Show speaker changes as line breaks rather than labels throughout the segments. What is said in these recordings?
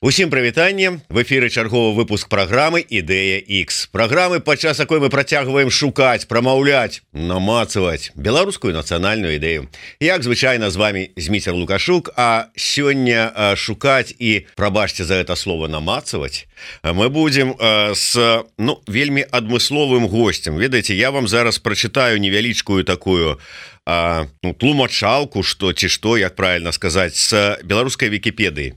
Усім прывітанне, в эфіры чарговы выпуск праграмы Ідэя X. Праграмы, падчас якой мы працягваем шукаць, прамаўляць, намацаваць беларускую нацыянальную ідэю. Як звычайна з вами Зміцер Лукашук, а сёння шукаць і, прабачце за гэта слово, намацаваць, мы будзем с вельмі адмысловым гостем. Ведаеце, я вам зараз прачытаю невялічкую такую тлумачалку, што, як правильно сказаць, з беларускай Вікіпедыі.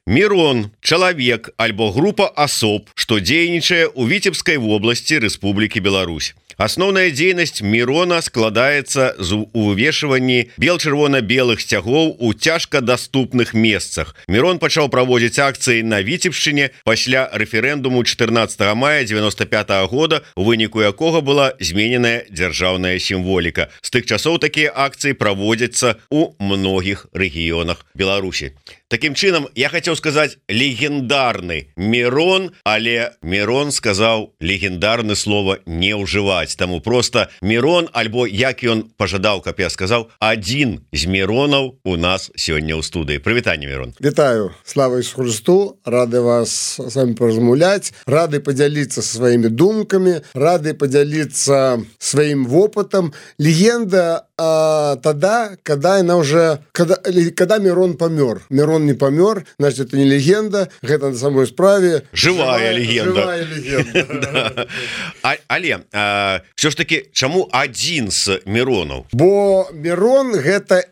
Мирон – чалавек альбо група асоб, што дзейнічае ў Віцебскай вобласці Рэспублікі Беларусь. Асноўная дзейнасць Мирона складаецца з увешванні бел-чырвона-белых сцягоў у цяжкадаступных месцах. Мирон пачаў праводзіць акцыі на Віцебшчыне пасля рэферэндуму 14 мая 95 года, у выніку якога была змененая дзяржаўная сімволіка. З тых часоў такія акцыі праводзяцца ў многіх рэгіёнах Беларусі. Таким чынам, я хацеў сказаць легендарны Мирон, але Мирон сказаў легендарны слова не ўжываць. Таму просто Мирон, альбо як ён пажадаў, каб я сказаў, адзін з Миронаў у нас сёння ў студыі. Прывітанне, Мирон.
Вітаю, слава Ісусу Христу, рады вас с вами поразмаўляць, рады подзяліцца сваімі думкамі, рады подзяліцца сваім вопытам. Легенда тогда, когда Мирон помер. Мирон не помер, значит, это не легенда, гэта на самой справе
живая легенда. Але все ж таки, чаму адзін з Миронаў?
Бо Мирон гэта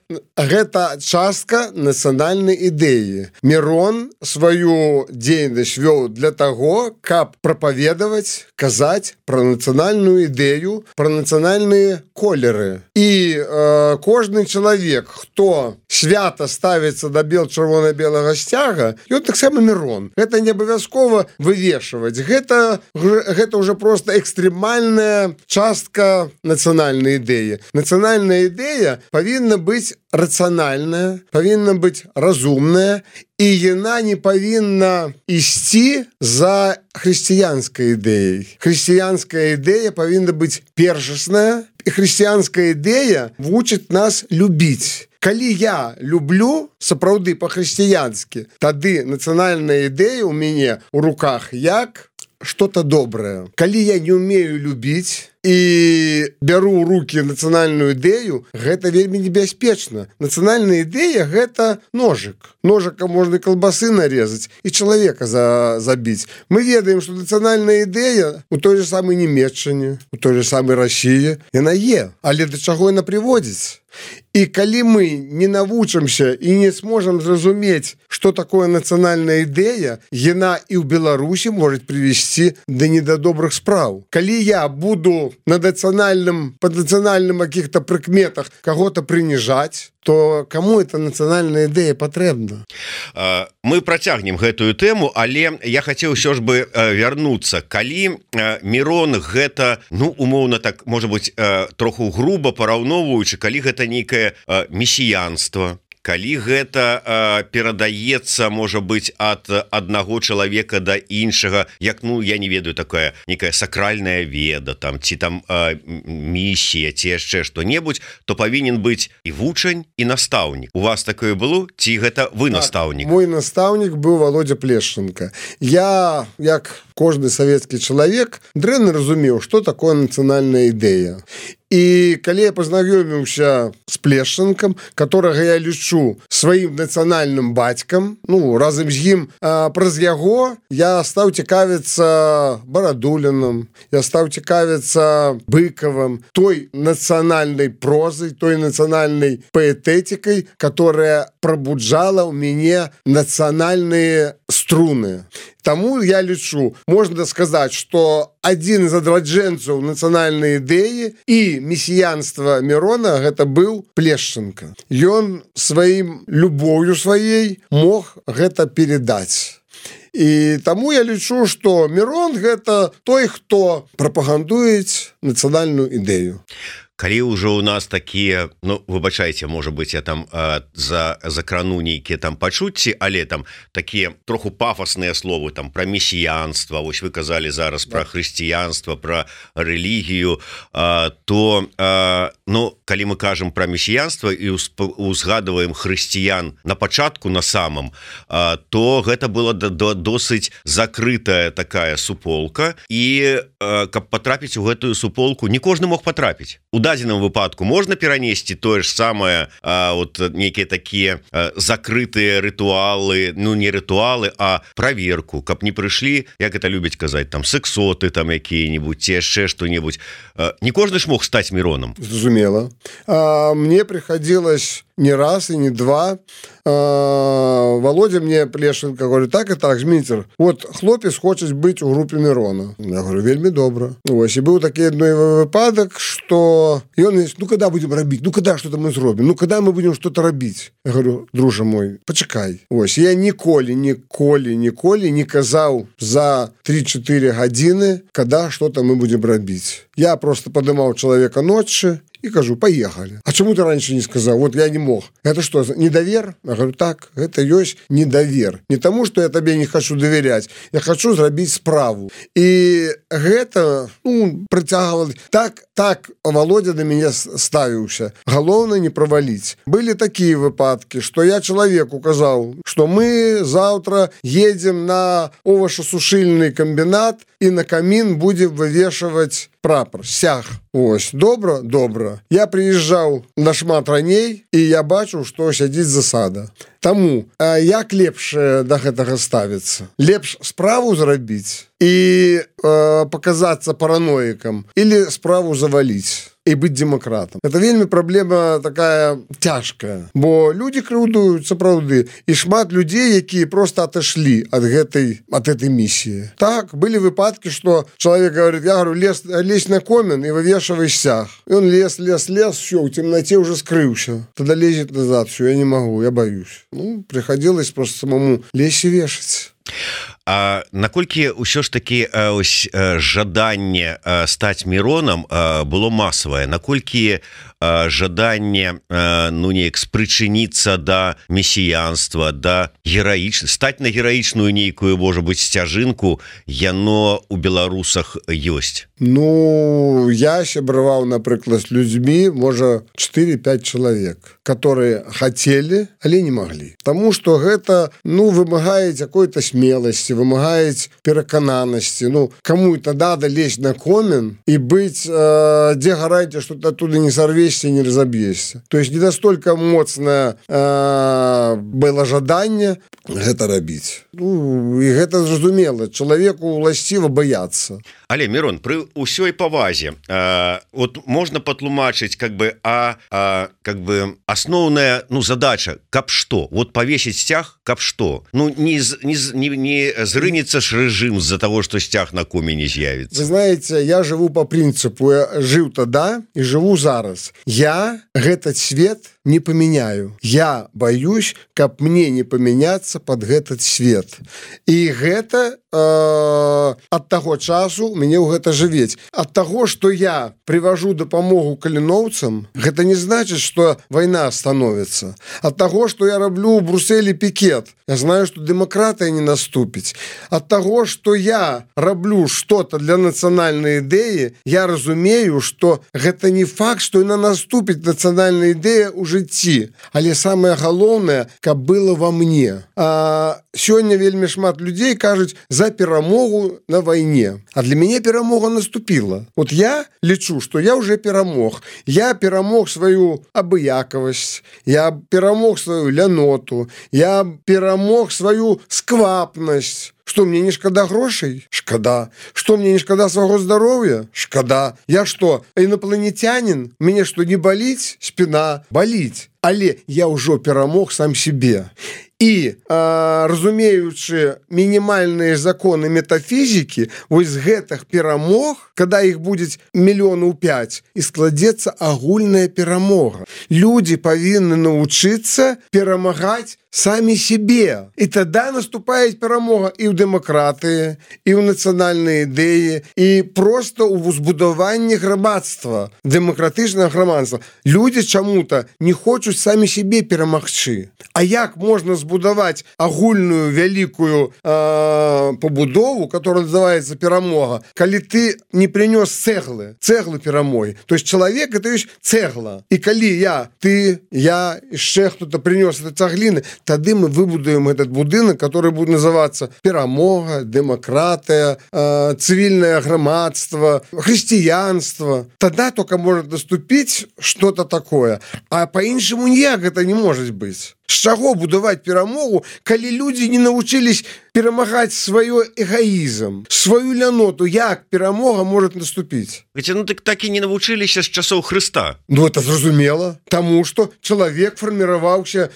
частка нацыянальнай ідэі. Мирон сваю дзейнасць вёў для таго, каб прапаведаваць, казаць пра нацыянальную ідэю, пра нацыянальныя колеры. І кожны чалавек, хто свята ставіцца да бел-чырвона-белага сцяга, ён таксама Мирон. Гэта не абавязкова вывешваць. Гэта уже просто экстрэмальная частка нацыянальнай ідэі. Нацыянальная ідэя павінна быць рацыянальная, павінна быць разумная, і яна не павінна ісці за хрысціянскай ідэяй. Хрысціянская ідэя павінна быць першасная, і хрысціянская ідэя вучыць нас любіць. Калі я люблю сапраўды па-хрысціянскі, тады нацыянальная ідэя ў мяне ў руках як что-то доброе. Калі я не умею любіць і бяру ў рукі нацыянальную ідэю, гэта вельмі небяспечна. Нацыянальная ідэя – гэта ножик. Ножиком можна калбасы нарезаць і чалавека забіць. Мы ведаем, што нацыянальная ідэя у той же самой Нямецчыне, у той же самой Расіі, яна є. Але да чаго яна прыводзіць? І калі мы не навучымся і не сможам зразумець, што такое нацыянальная ідэя, яна і ў Беларусі можа прывесці да недадобрых спраў. Калі я буду па нацыянальным каких-то прыкметах кого-то прыніжаць, то кому эта нацыянальная ідэя патрэбна?
Мы працягнем гэтую тэму, але я хацеў ўсё ж бы вярнуцца. Калі Мирон гэта, умоўна так, можа быць, троху груба параўноўваючы, калі гэта нейкае месіянства, калі гэта перадаецца, можа быць, ад аднаго чалавека да іншага, як, я не ведаю, такая некая сакральная веда, ці місія, ці яшчэ што-небудзь, то павінен быць і вучань, і настаўнік. У вас такое было? Ці гэта вы настаўнік?
Мой настаўнік быў Володя Плешченко. Я, як кожны савецкі чалавек, дрэнна разумеў, што такое нацыянальная ідэя. І калі я пазнаёміўся з Плешченкам, которага я лічу сваім нацыянальным бацькам, разам з ім, праз яго я стаў цікавіцца Барадулінам, я стаў цікавіцца Быкавым, той нацыянальнай прозай, той нацыянальнай паэтэтыкай, которая пробуджала ў мяне нацыянальныя струны. Таму я лічу, можна сказаць, што адзін з адраджэнцаў нацыянальнай ідэі і месіянства Мирона гэта быў Плешченко. Ён сваім любоўю сваей мог гэта перадаць. І таму я лічу, што Мирон гэта той, хто прапагандуецца нацыянальную ідэю.
калі ўжо у нас такія, ну выбачайце, можа быть, я там закрану нейкія там пачуцці, але там такія троху пафосныя словы там про месіянства, вось вы казалі зараз про хрысціянства, про рэлігію, то ну калі мы кажам про месіянства і узгадываем хрысціян на пачатку на самом, то гэта была досыць закрытая такая суполка, і каб потрапіць у гэтую суполку не кожны мог потрапіць. У дадзеным выпадку можна перанесці тое ж самае, вот нейкія такія закрытыя рытуалы, ну не рытуалы, а праверку, каб не прыйшлі, як это любяць казаць, там сексоты там якія-нибудь, ці яшчэ што-нибудь. Не кожны ж мог стаць міронам.
Зразумела. Мне приходилось не раз и не два. Володя мне Плешенко говорит: так и так, Зміцер, вот хлопец хочет быть у группе Мирона. Я говорю: вельми добро. Ось, и был такой одной выпадок, что и он говорит: ну когда будем робить, ну когда что-то мы зробим, ну когда мы будем что-то робить. Я говорю: друже мой, почекай. Ось, я ніколі не казал за 3-4 годины, когда что-то мы будем робить. Я просто поднимал человека ночью и кажу: поехали. А чему ты раньше не сказал? Вот я не мог. Это что, недовер? Я говорю: так, это есть недовер. Не тому, что я тебе не хочу доверять. Я хочу зробить справу. И это, ну, притягивал. Так Володя на меня ставился. Головне не провалить. Были такие выпадки, что я человеку сказал, что мы завтра едем на овощесушильный комбинат и на камин будем вывешивать прапор, сяг. Ось, добра. Я приезжал на шмат раней, и я бачу, что сядзіць засада. Таму, як лепш да гэтага ставіцца? Лепш справу зрабіць и показаться параноиком, или справу завалить и быть демократом. Это вельми проблема такая тяжкая, бо люди крыўдуюцца, правды, и шмат людей, якія просто отошли от этой миссии. Так, были выпадки, что человек говорит: я говорю, лезь на комин и вывешивай сяг. И он лез, все, в темноте уже скрылся. Тогда лезет назад: все, я не могу, я боюсь. Ну, приходилось просто самому лезть и вешать.
А наколькі ўсё ж таки ось жаданне стаць міронам было масавае, наколькі жаданне ну неяк спрычыніцца да месіянства, да гераічна, стаць на гераічную нейкую, можа быть, сцяжынку, яно у беларусах ёсць?
Ну, я сябраваў, напрыклад, з людзьмі, можа 4-5 чалавек, которые хотели, але не могли. Потому что гэта, ну, вымагае какой-то смелости, вымагае перакананасці. Ну, кому это надо лезть на комин и быть, где гарантия, что ты оттуда не сорвешься и не разобьешься. То есть не настолько моцное было жаданне гэта рабіць. Ну, і гэта зразумела. Чалавеку уласціва баяцца.
Але, Мирон, при усёй павазе, вот можно патлумачыць, как бы, как бы основная, ну, задача, каб што? Вот повесить стяг, каб што? Ну, не зрынется ж режим из-за того, что стяг на комине з'явится.
Вы знаете, я живу по принципу, я жил тогда и живу зараз. Я этот свет не поменяю. Я боюсь, каб мне не поменяться под этот свет. И гэта от того часу мне ў гэта жывець. От того, что я привожу дапамогу каліноўцам, гэта не значит, что война становится. От того, что я раблю в Брюсселе пикет, я знаю, что демократия не наступить. От того, что я раблю что-то для национальной идеи, я разумею, что гэта не факт, что яна наступить национальная идея у жыцці. Але самое галоўнае, каб было во мне. Сёння вельмі шмат людей кажуць за перамогу на войне. А для меня перамога наступила. Вот я лечу, что я уже перамог. Я перамог свою абыякавасць, я перамог свою ляноту, я перамог свою сквапнасць. Что, мне не шкада грошей? Шкада. Что, мне не шкада свайго здароўя? Шкада. Я что, инопланетянин? Мне что, не болить? Спина болить. Але я ўжо перамог сам себе. І, разумеючы мінімальныя законы метафізікі, вось з гэтых перамог, когда іх будзе 5 мільёнаў, і складзецца агульная перамога. Людзі павінны навучыцца перамагаць самі себе. І тогда наступае перамога і ў дэмакратыі, і ў нацыянальнай ідэі, і просто ў збудаванні грамадства, дэмакратычнага грамадства. Людзі чаму-то не хочуць самі себе перамагчы. А як можна збудаваць агульную вялікую побудову, которая называется перамога, калі ты не принес цэглы перамогі? То есть человек это есть цэгла. И калі я яшчэ кто-то принес это цаглины, тады мы выбудуем этот будынок, который будет называться перамога, демократия, цивильное громадство, христианство. Тогда только может наступить что-то такое. А по-іншаму ніяк это не может быть. З чаго будаваць перамогу, калі людзі не навучылись перамагаць свой эгоізм, сваю ляноту? Як перамога может наступіць?
Так і не навучыліся з часоў Хрыста.
Это зразумела, таму што чалавек фарміраваўся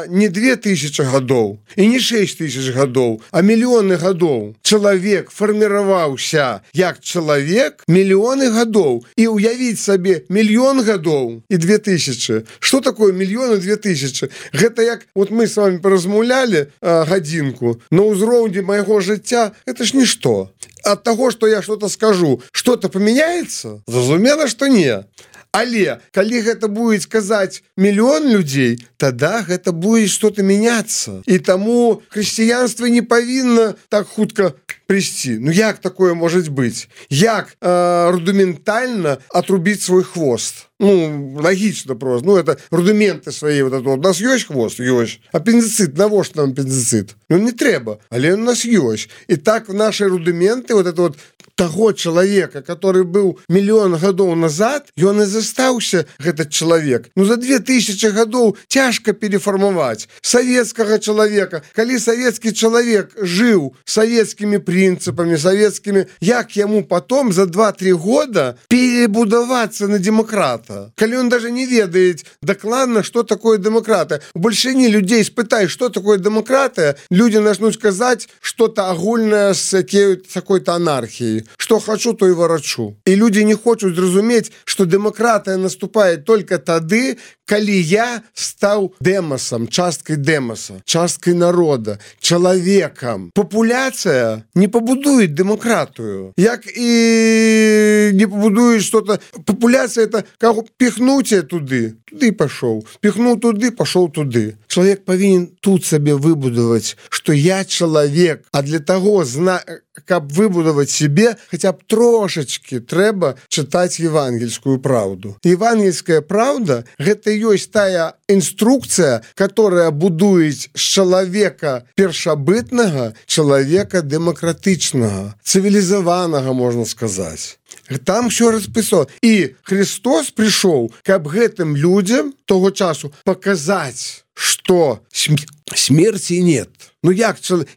не 2000 гадоў і не 6000 гадоў, а мільёны гадоў. Чалавек фарміраваўся як чалавек мільёны гадоў. І уявіць сабе мільён гадоў і 2000. Што такое мільён і 2000? Гэта як мы с вами паразмаўлялі гадзінку, на ўзроўні майго жыцця это ж нішто. От того, что я что-то скажу, что-то поменяется? Зразумела, что не. Але калі гэта будет сказаць мільён людзей, тогда гэта будет что-то меняться. И тому христианство не павінна так хутка прийти. Як такое может быть? Як рудиментально отрубить свой хвост? Логично просто. Это рудименты свои. У нас есть хвост? Есть. Аппендицит, навошта нам аппендицит? Не трэба, але у нас есть. И так наши рудименты, того человека, который был миллион гадоў назад, ён и застаўся, этот человек. За 2000 гадоў тяжко переформовать советского человека. Калі советский человек жил советскими принципами, советскими, як ему потом за 2-3 года перебудоваться на демократа? Калі он даже не ведает докладно, что такое демократия. У большині людей спытай, что такое демократия, люди начнут сказать что-то огульное с какой-то анархией. Что хочу, то и ворочу. И люди не хочут зразумець, что демократия наступает только тады, калі я стал демосом, часткой демоса, часткой народа, человеком. Популяция не побудует демократию. Як и не побудует что-то. Популяция это как пихнуть туды и пошел. Пихнул туды, пошел туды. Человек повинен тут себе выбудовать, что я человек. А для того, каб выбудовать себе, хотя бы трошечки трэба читать евангельскую правду. Евангельская правда — это есть тая инструкция, которая будует с человека першабытного, человека демократичного, цивилизованного, можно сказать. Там все расписано. И Христос пришел, каб гэтым людям того часу показать, что смерти нет.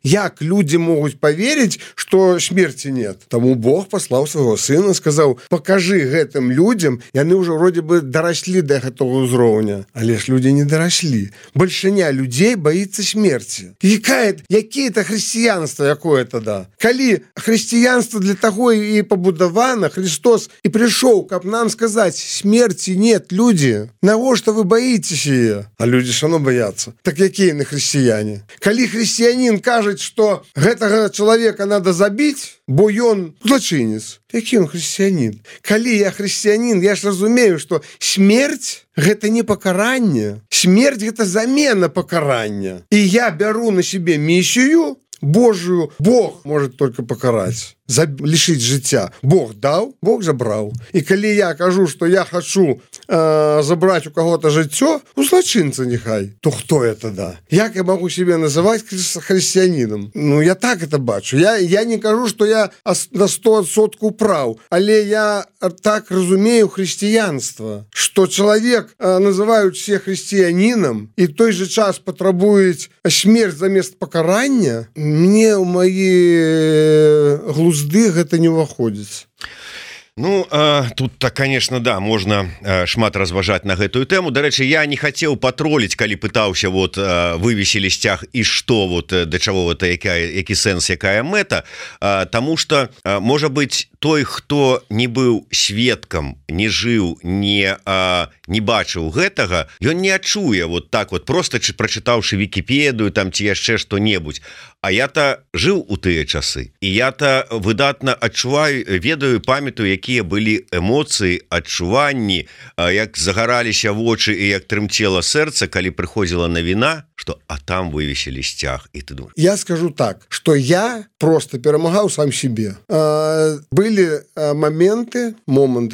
Як люди могут поверить, что смерти нет? Тому Бог послал своего сына, сказал: покажи гэтым людям, и они уже вроде бы доросли до этого узроўня. Але ж люди не доросли. Большиня людей боится смерти. Какие это христианство якое тогда? Калі христианство для того и побудовано, Христос и пришел, как нам сказать: смерти нет, люди. Навошта вы боитесь ее? А люди ж оно боятся. Так какие на христиане? Калі христианин кажет, что гэтага человека надо забить, бо ён злачынец. Які он христианин? Калі я христианин, я ж разумею, что смерть — гэта не покаранне. Смерть — гэта замена покарання. И я беру на себе миссию Божию. Бог может только покарать, лишить жыцця. Бог дал, Бог забрал. И калі я кажу, что я хочу забрать у кого-то жыццё, у злачынца нехай, то кто это да? Як я могу себе называть христианином? Я так это бачу. Я не кажу, что я на 100% прав, але я так разумею христианство, что человек называют все христианином и в той же час потребует смерть замест покарання. Мне у мои глузды гэта не ўваходзіць.
Ну тут-то конечно да можна шмат разважаць на гэтую тэму. Дарэчы, я не хацеў патроліць, калі пытаўся вот вывесілі сцяг і што вот да чаго вот які сэнс, якая мэта, тому что можа быть той, хто не быў сведкам, не жыў, не бачыў гэтага, ён не адчуе вот так вот просто прачытаўшы Вікіпедыю там ці яшчэ што-небудзь. А я-то жыў у тыя часы, і я-то выдатна адчуваю, ведаю, памятаю, якія былі эмоцыі, адчуванні, як загараліся вочы і як трымцела сэрца, калі прыходзіла навіна, что а там вывесілі сцяг, і ты думаешь.
Я скажу так, что я просто перамагаў сам себе. Были моманты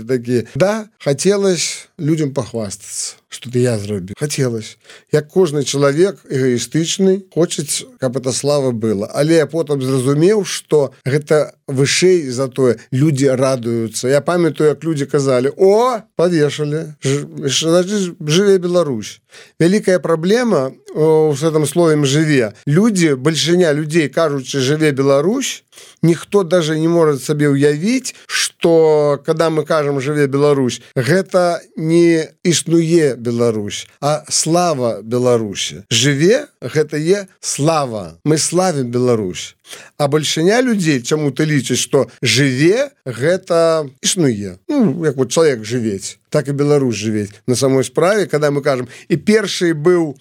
такие, да, хотелось людям похвастаться, что-то я зрабіў. Хотелось. Як кожны чалавек эгоістычны, хочуць, каб эта слава была. Але я потым зразумеў, што гэта вышэй за тое. Людзі радуюцца. Я памятаю, як людзі казалі: «О, павешалі, значит, жыве Беларусь». Вялікая праблема в этом слове «жыве». Людзі, большиня людзей, кажучы «жыве Беларусь», ніхто даже не может сабе ўявіць, что когда мы кажам «жыве Беларусь», гэта не існуе Беларусь, а слава Беларусі. Жыве гэта е слава. Мы славим Беларусь. А большиня людзей чаму-то лічыць, што жыве гэта існуе. Ну, як вот чалавек жывець, так і Беларусь жывець. На самой справе, когда мы кажам, і першы быў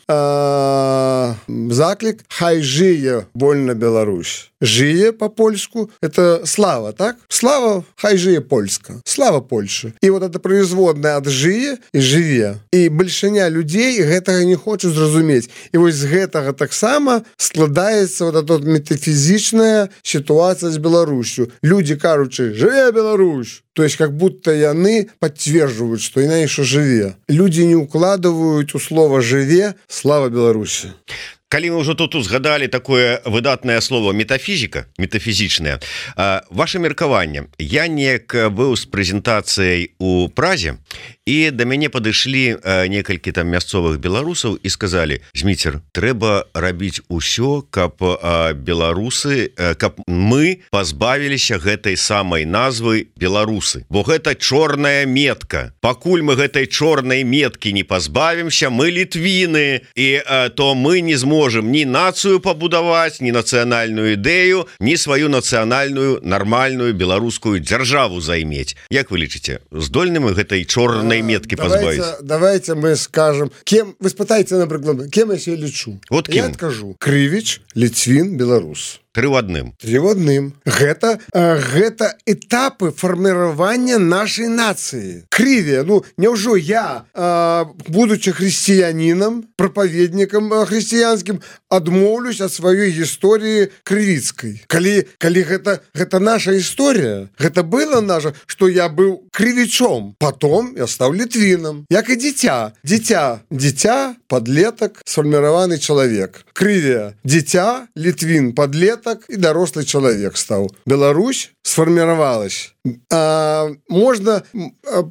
заклік «Хай жые вольна Беларусь». Жые по-польску – это слава, так? Слава, хай жие польска. Слава Польши. И вот это производное от жие и живе. И большиня людей гэтага не хочуць зразумець. И вот з гэтага таксама складаецца вот эта метафизичная ситуация с Беларусью. Люди кажучы «Жыве Беларусь». То есть как будто яны подтверждают, что иначе что живе. Люди не укладывают у слова «живе» слава Беларуси.
Калі мы ўжо тут узгадалі такое выдатнае слово метафізіка, метафізічнае, ваше меркаванне. Я неяк быў з прэзентацыяй у Празе, і да мяне падышлі некалькі там мясцовых беларусаў і сказалі: «Зміцер, трэба рабіць усё, каб беларусы, каб мы пазбавіліся гэтай самай назвы беларусы. Бо гэта чорная метка. Пакуль мы гэтай чорнай меткі не пазбавімся, мы літвіны, і то мы не зможем ні нацыю пабудаваць, ні нацыянальную ідэю, ні сваю нацыянальную нармальную беларускую дзяржаву займець». Як вы лічыце, здольны мы гэтай чорнай меткі пазбавіць?
Давайте мы скажем, кем, вы спытаеце, напрыклад, кем я себе лічу.
Вот кем?
Я адкажу: Крывіч, Ліцвін, беларус.
Тры ў адным.
Гэта этапы фарміравання нашай нацыі. Крыве, ну, няўжо я, будучы хрысціянінам, прапаведнікам хрысціянскім, адмоўлюсь ад сваёй гісторыі крывіцкай. Калі гэта наша гісторыя, гэта было наша, што я быў крывічом, потом я стаў літвінам. Як і дзіця, падлетак, сфарміраваны чалавек. Крыве, дзіця, літвін, падлетак і дарослы чалавек стаў. Беларусь сфарміравалась. Можно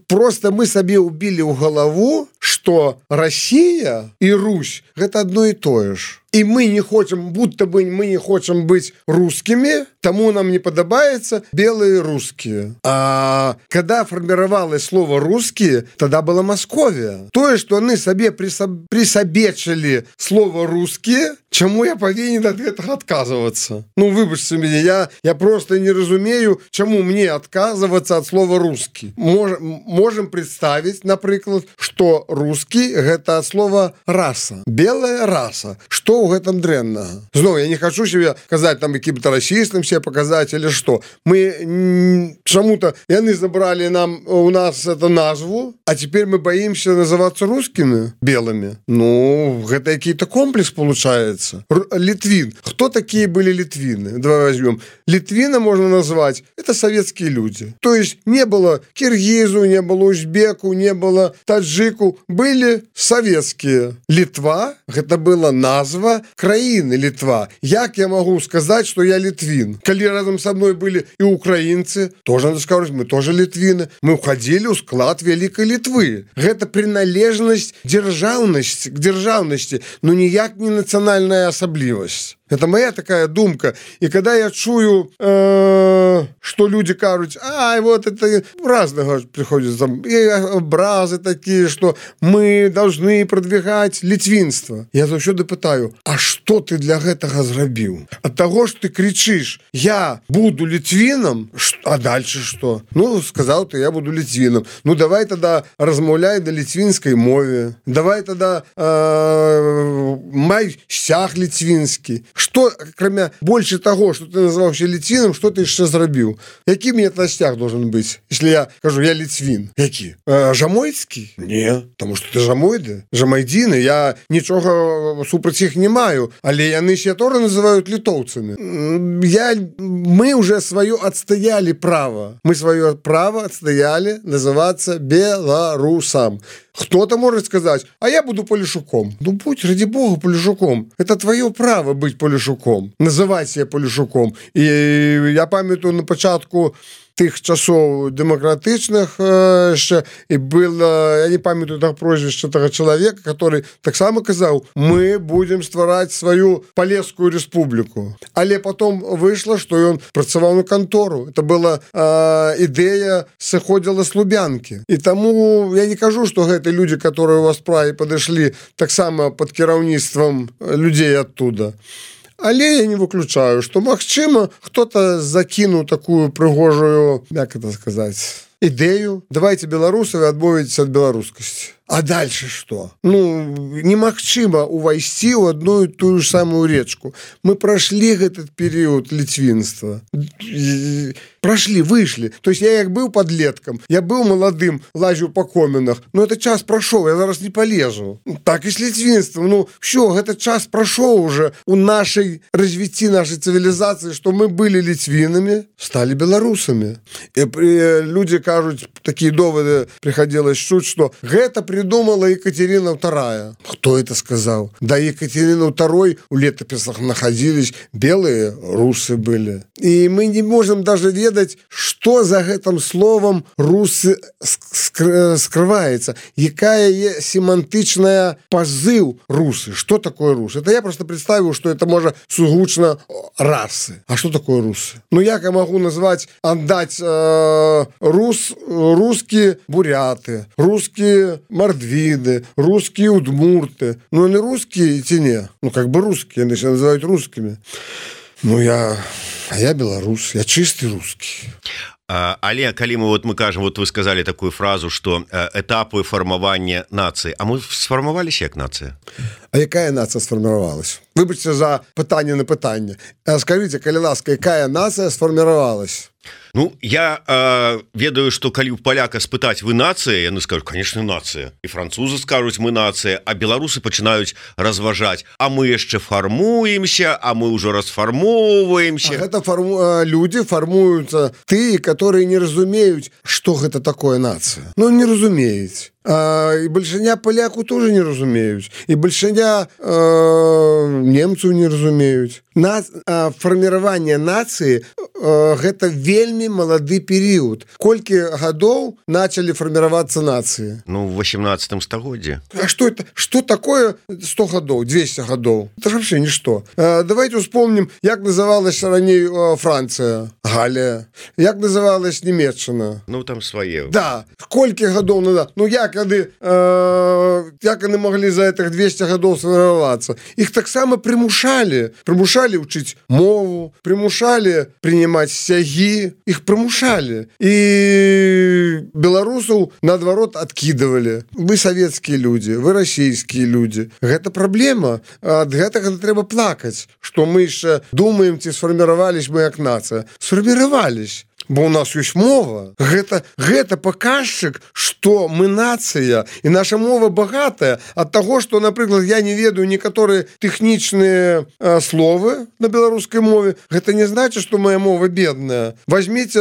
просто мы сабе убілі ў галаву, што Россия і Русь гэта одно і тое ж. И мы не хотим, будто бы мы не хотим быть русскими, тому нам не подобается белые русские. А когда формировалось слово «русские», тогда была Московия. То, что они себе присобечили слово «русские», чему я повинен от этого отказываться? Ну, выбачьте меня, я просто не разумею, чему мне отказываться от слова «русский». Можем представить, например, что «русский» — это от слова «раса», белая раса. Что ў гэтым дрэннага? Зноў, я не хочу себе казаць там якім-то расістам себе показать или что. Мы чему-то, яны забрали у нас эту назву, а теперь мы боимся называться русскими, белыми. Ну, это какой-то комплекс получается. Литвин. Кто такие были литвины? Давай возьмем. Литвина можно назвать, это советские люди. То есть не было киргизу, не было узбеку, не было таджику. Были советские. Литва, это была назва краины Литва. Як я могу сказать, что я литвин? Коли рядом со мной были и украинцы, тоже надо сказать, мы тоже литвины. Мы входили в склад Великой Литвы. Это приналежность к державности, но ніяк не национальная особливость. Это моя такая думка. И когда я чую, что люди кажут, вот это разного приходят там, и образы такие, что мы должны продвигать литвинство. Я заўсёды пытаю, а что ты для гэтага зрабіў? От того, что ты кричишь, я буду литвином, а дальше что? Ну, сказал ты, я буду литвином. Ну, давай тогда размаўляй на литвинской мове. Давай тогда май сцяг литвинский. Что, кроме больше того, что ты назывался литвином, что ты еще зрабіў? Які мне это сцяг должен быть, если я кажу, я литвин? Які? Жамойцкий? Не, потому что ты жамойды, жамайдины. Я ничего супраць их не маю, але яны себя тоже называют литовцами. Мы уже свое отстояли право. Мы свое право отстояли называться белорусом. Кто-то может сказать, а я буду Полишуком. Ну, будь, ради бога, Полишуком. Это твое право быть Полишуком. Называть себя Полишуком. И я памятаю на початку тых часов демократичных еще, и было, я не памятаю так прозвище того человека, который так само сказал, мы будем стварать свою Полесскую республику. Але потом вышло, что он працаваў на контору. Это была идея сыходзіла с Лубянки. И тому я не кажу, что это люди, которые у вас справе подошли так само под кіраўніцтвом людей оттуда. Але я не выключаю, что, магчыма, кто-то закинул такую прыгожую, как это сказать, идею. Давайте белорусов отбавитесь от белорусскости. А дальше что? Ну, немагчыма увайсці ў одну и ту же самую речку. Мы прошли этот период литвинства. Прошли, вышли. То есть я як был подлетком, я был молодым, лазил по коминах, но этот час прошел, я зараз не полезу. Так и с литвинством. Ну, все, этот час прошел уже у нашей развития нашей цивилизации, что мы были литвинами, стали белорусами. И люди кажут, такие доводы приходилось чуть, что это придумала Екатерина II. Кто это сказал? Да, Екатерина II у летописах находились, белые русы были. И мы не можем даже ведать, что за этим словом русы скрывается. Якая семантичная позыв русы. Что такое русы? Это я просто представил, что это может сугучно расы. А что такое русы? Ну, я могу назвать, отдать русские буряты, русские мордвиды, русские удмурты. Ну, они русские ці не? Ну, как бы русские, они себя называют русскими. Ну, я белорус, я чистый русский.
Але калі мы кажем, вот вы сказали такую фразу, что этапы формования нации, а мы сформовались як нация?
А якая нация сформировалась? Выбачьте за пытание на пытание. Скажите, калі ласка, якая нация сформировалась?
Ну, я ведаю, что калі поляка спытаць, вы нация, яны скажут, конечно, нация. И французы скажут, мы нация, а белорусы пачынаюць разважаць, а мы яшчэ формуемся, а мы уже расформовываемся.
А это люди формуются, которые не разумеют, что это такое нация. Ну, не разумеюць. И большиня поляку тоже не разумеюць. И большиня немцев не разумеюць. Формирование нации это вельмі малады период. Колькі годов начали формироваться нации?
Ну, в 18 стагоддзе.
А что это? Что такое 100 годов, 200 годов? Это же вообще ничто. Давайте вспомним, как называлась ранее Франция, Галия, как называлась Немеччина.
Ну, там свои.
Да. Колькі годов назад? Ну, як они могли за этих 200 годов сформироваться? Их так само примушали учить мову, примушали принимать стяги, их примушали. И белорусов, наоборот, откидывали. Вы советские люди, вы российские люди. Это проблема. От гэтага трэба плакать, что мы еще думаем, ці сформировались мы как нация. Сформировались. Бо у нас есть мова. Гэта показчик, что мы нация, и наша мова богатая от того, что, например, я не ведаю некоторые техничные словы на белорусской мове. Это не значит, что моя мова бедная. Возьмите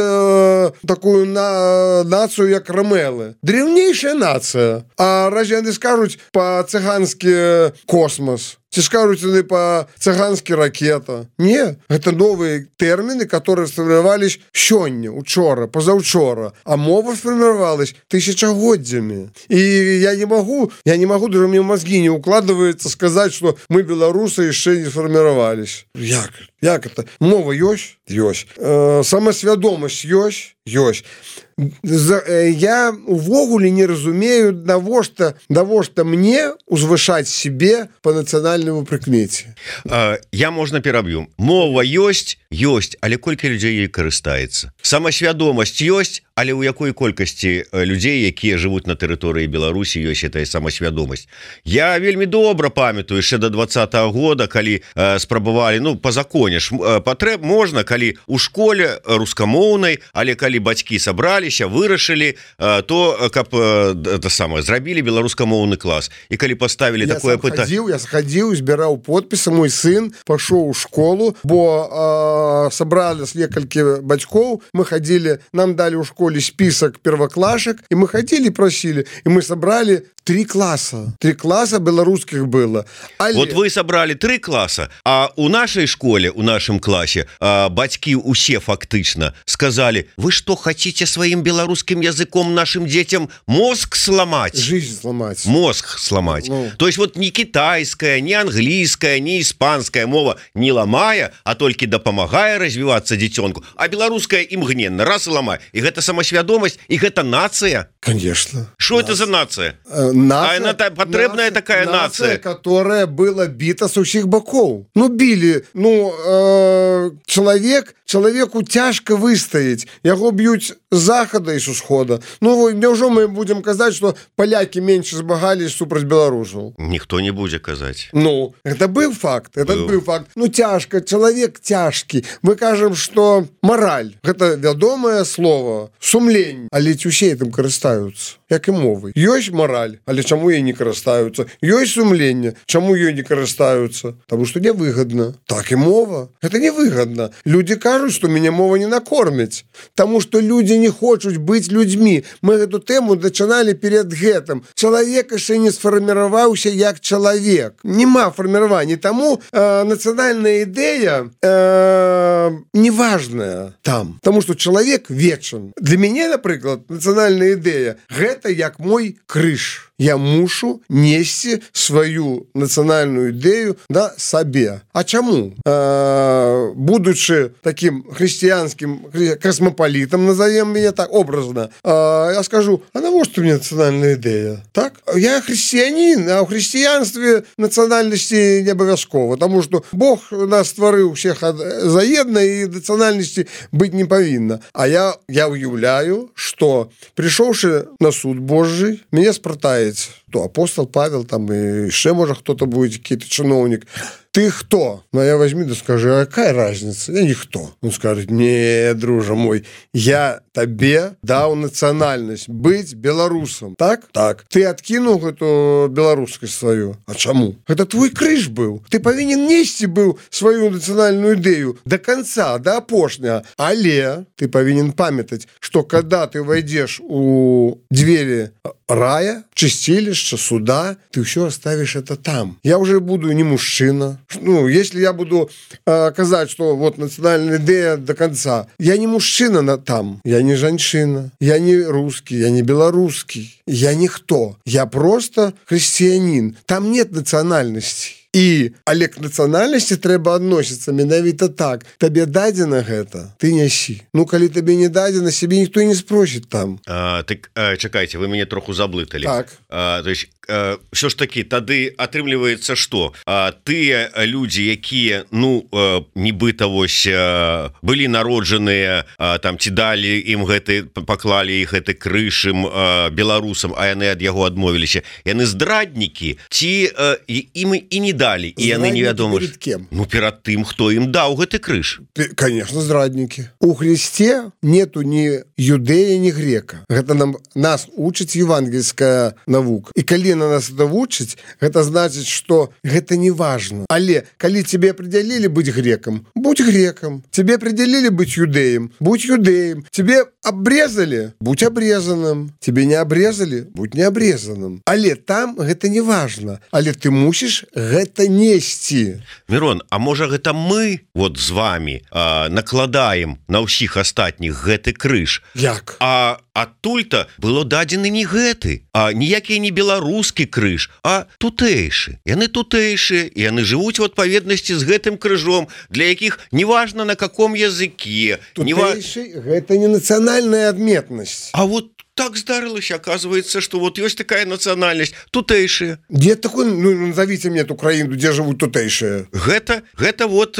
такую нацию, как ромелы. Древнейшая нация. А разве они скажут по-цыгански космос? ці скажуць яны па-цыганскі ракета. Не, гэта новыя тэрміны, которые сфарміравались сёння, учора, пазаўчора, а мова сфарміравалась тысячагоддзямі. І я не могу, даже мне в мозги не укладывается сказать, что мы, белорусы, еще не сформировались. Як это? Мова ёсць? Ёсць. Самасвядомасць ёсць? Ёсць. Я увогуле не разумею, навошта мне узвышаць себе по нацыянальнаму прыкмеце.
Я можна пераб'ю. Мова ёсць, але колькі людзей ёй карыстаецца. Самасвядомасць ёсць, але ў якой колькасці людзей, якія жывуць на тэрыторыі Беларусі, ёсць гэтая самасвядомасць. Я вельмі добра памятаю яшчэ до 20-го года, калі спрабавалі, по законе ж патрэб можна, калі у школе рускамоўнай, але калі бацькі сабраліся, вырашылі, то каб это самае зрабілі беларускамоўны клас. І калі паставілі такое пытанне,
я схадзіў, збіраў подпісы, мой сын пашоў у школу, бо сабралі некалькі бацькоў, мы хадзілі, нам далі ў школе список первоклашек, и мы ходили, просили, и мы собрали 3 класса. 3 класса белорусских было.
Вот вы собрали 3 класса, а у нашей школе, у нашем классе бацьки усе фактично сказали: вы что, хотите своим белорусским языком нашим детям мозг сломать?
Жизнь сломать.
Мозг сломать. То есть вот не китайская, не английская, не испанская мова не ломая, а только допомагая развиваться детенку, а белорусская имгненно раз и ломая. И это самосвядомость, и это нация.
Конечно.
Что это за нация?
Нация,
потребная такая нация,
которая была бита с усіх боков. Били. Человеку тяжко выстоять. Яго бьют с захода и с усхода. Неужели мы будем казать, что поляки меньше збагались супроть белорусов?
Никто не будет казать.
Это был факт. Был факт. Тяжко. Человек тяжкий. Мы кажем, что мораль. Это вядомое слово. Сумлень. Але усе этим карыстаюцца. Як і мовы. Ёсць мораль, але чаму ей не карыстаюцца? Ёсць сумленне, чаму ёй не карыстаюцца? Таму што невыгадна. Так і мова. Гэта невыгадна. Людзі кажуць, што мяне мова не накорміць. Таму што людзі не хочуць быць людзьмі. Мы гэту тэму дачыналі перед гэтым. Чалавек яшчэ не сфарміраваўся як чалавек. Нема фарміравання. Таму нацыянальная ідэя неважная там. Таму што чалавек вечен. Для мяне, напрыклад, нацыянальная ідэя гэта як мой крыж. Я мушу несці сваю нацыянальную ідэю сабе. А чаму? Будучы таким хрысціянскім касмапалітам, назовем меня так образно, я скажу: а навошта мне нацыянальная ідэя? Так? Я хрысціянін, а ў хрысціянстве нацыянальнасці не абавязкова, таму што Бог нас стварыў усіх заедна і нацыянальнасці быць не павінна. А я уяўляю, што прыйшоўшы на суд Божий, мяне спрытае то апостол Павел, там и еще, может, кто-то будет, какой-то чиновник. Ты кто? Я возьми да скажи: а какая разница? Я никто. Он скажет: не, друже мой, я тебе дал национальность быть белорусом. Так? Так. Ты откинул эту белорусскость свою. А чему? Это твой крыж был. Ты повинен нести был свою национальную идею до конца, до опошня. Але ты повинен памятать, что когда ты войдешь у двери рая, чистилища, суда, ты все оставишь это там. Я уже буду не мужчина. Если я буду казать, что вот национальная идея до конца, я не мужчина там, я не женщина, я не русский, я не белорусский, я никто. Я просто христианин. Там нет национальности. Але к нацыянальнасці трэба адносіцца менавіта так. Табе дадзена гэта, ты нясі. Калі табе не дадзена, сябе ніхто не спросіць там.
Так, чакайце, вы мяне троху заблыталі.
Так.
То есть, все ж таки, тады атрымліваецца, што тыя людзі, якія, нібыта вось былі народжаныя, там, ці далі ім гэты, паклалі іх гэты крыж ім беларусам, а яны ад яго адмовіліся, яны здраднікі, ці ім і не далі, і яны невядома.
Перед кем?
Перад тым, хто ім даў гэты крыж.
Конечно, здраднікі. У Христе нету ни юдэя, ни грека. Гэта нас учыць евангельская навука. І калі на нас это вучыць, гэта значыць, што гэта не важно. Але калі тебе определили быть греком, будь греком. Тебе определили быть юдэем, будь юдэем. Тебе обрезали, будь обрезанным. Тебе не обрезали, будь не обрезанным. Але там гэта не важно. Але ты мусіш гэта гэта несці.
Мирон, а можа гэта мы вот з вами накладаем на ўсіх астатніх гэты крыж?
Як?
А адтуль-то было дадзены не гэты, а ніякі не беларускі крыж, а тутэйшы. Яны тутэйшыя, і яны жывуць у адпаведнасці з гэтым крыжом, для якіх неважна на каком языке.
Тутэйшы гэта не нацыянальная адметнасць.
А вот так здарылася, оказывается, что вот есть такая национальность, тутэйшая.
Где такой, ну, назовите мне эту краіну, где живут тутэйшие?
Гэта вот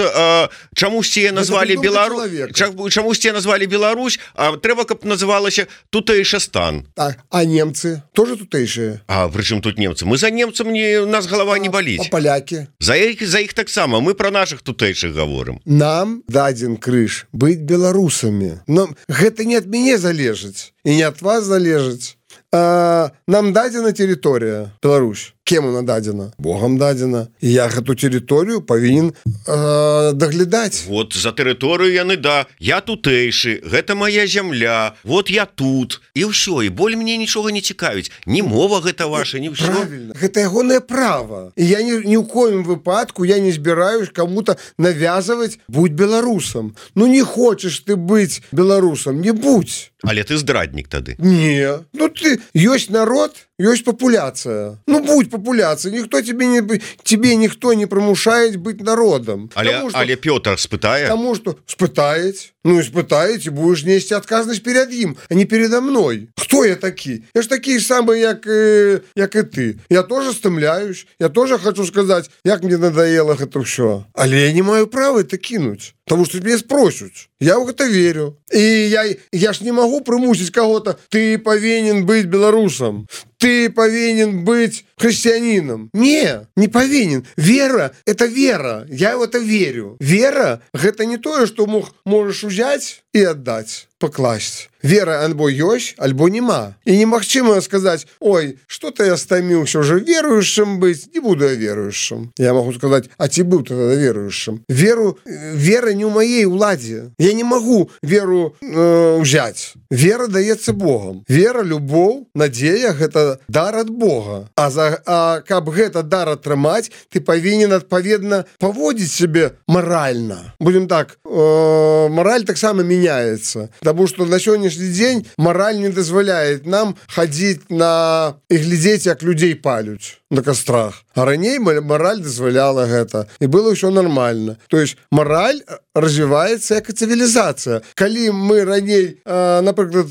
чамусьці назвали Беларусь, чамусьці назвали Беларусь, а трэба, каб называлася тутэйшастан.
А немцы тоже тутэйшие?
А причем тут немцы? Мы за немцам у нас голова не болит.
А поляки?
За их так само, мы про наших тутэйших говорим.
Нам дадзен крыж быть белорусами. Но гэта не от мяне залежыць и не от вас залежыць. Нам дадзена территория Беларусь. Кем она дадзена? Богом дадзена. И я эту территорию повинен доглядать.
Вот за территорию яны, да. Я тутэйшы, гэта моя земля. Вот я тут. И все. И боль мне ничего не цікавіць. Ни мова гэта ваша, ни все.
Правильно. Это ягонае право. И я ни в коем выпадку я не збираюсь кому-то навязывать будь белорусом. Ну не хочешь ты быть белорусом, не будь.
Але ты здраднік тады.
Не. Ну ты, есть народ, есть популяция. Ну будь популяцией. Никто тебе никто не примушает быть народом.
Але Петр спытае?
Потому что спытает. Ну, испытаете, будешь нести отказность перед им, а не передо мной. Кто я такие? Я ж такие самые, як и ты. Я тоже стымляюсь. Я тоже хочу сказать, як мне надоело это все. Але я не маю права это кинуть. Потому что меня спросят. Я в это верю. И я ж не могу примусить кого-то. Ты повинен быть белорусом. Ты повинен быть христианином. Не повинен. Вера – это вера. Я в это верю. Вера – это не то, что можешь взять и отдать, покласть. Вера альбо ёсць, альбо нема. И немагчыма сказать, ой, что-то я стомился уже верующим быть, не буду я верующим. Я могу сказать, а ты был тогда верующим. Вера не у моей уладе. Я не могу веру взять. Вера дается Богом. Вера, любовь, надея – это дар от Бога. А каб гэта дар атрымаць, ты повинен адпаведна поводить себе морально. Будем так, мораль так само меняется. Потому что на сегодняшний день мораль не дозволяет нам ходить и глядеть, как людей палють на кострах. А раней мораль дозволяла гэта. И было все нормально. То есть мораль развивается как цивилизация. Коли мы раней, например,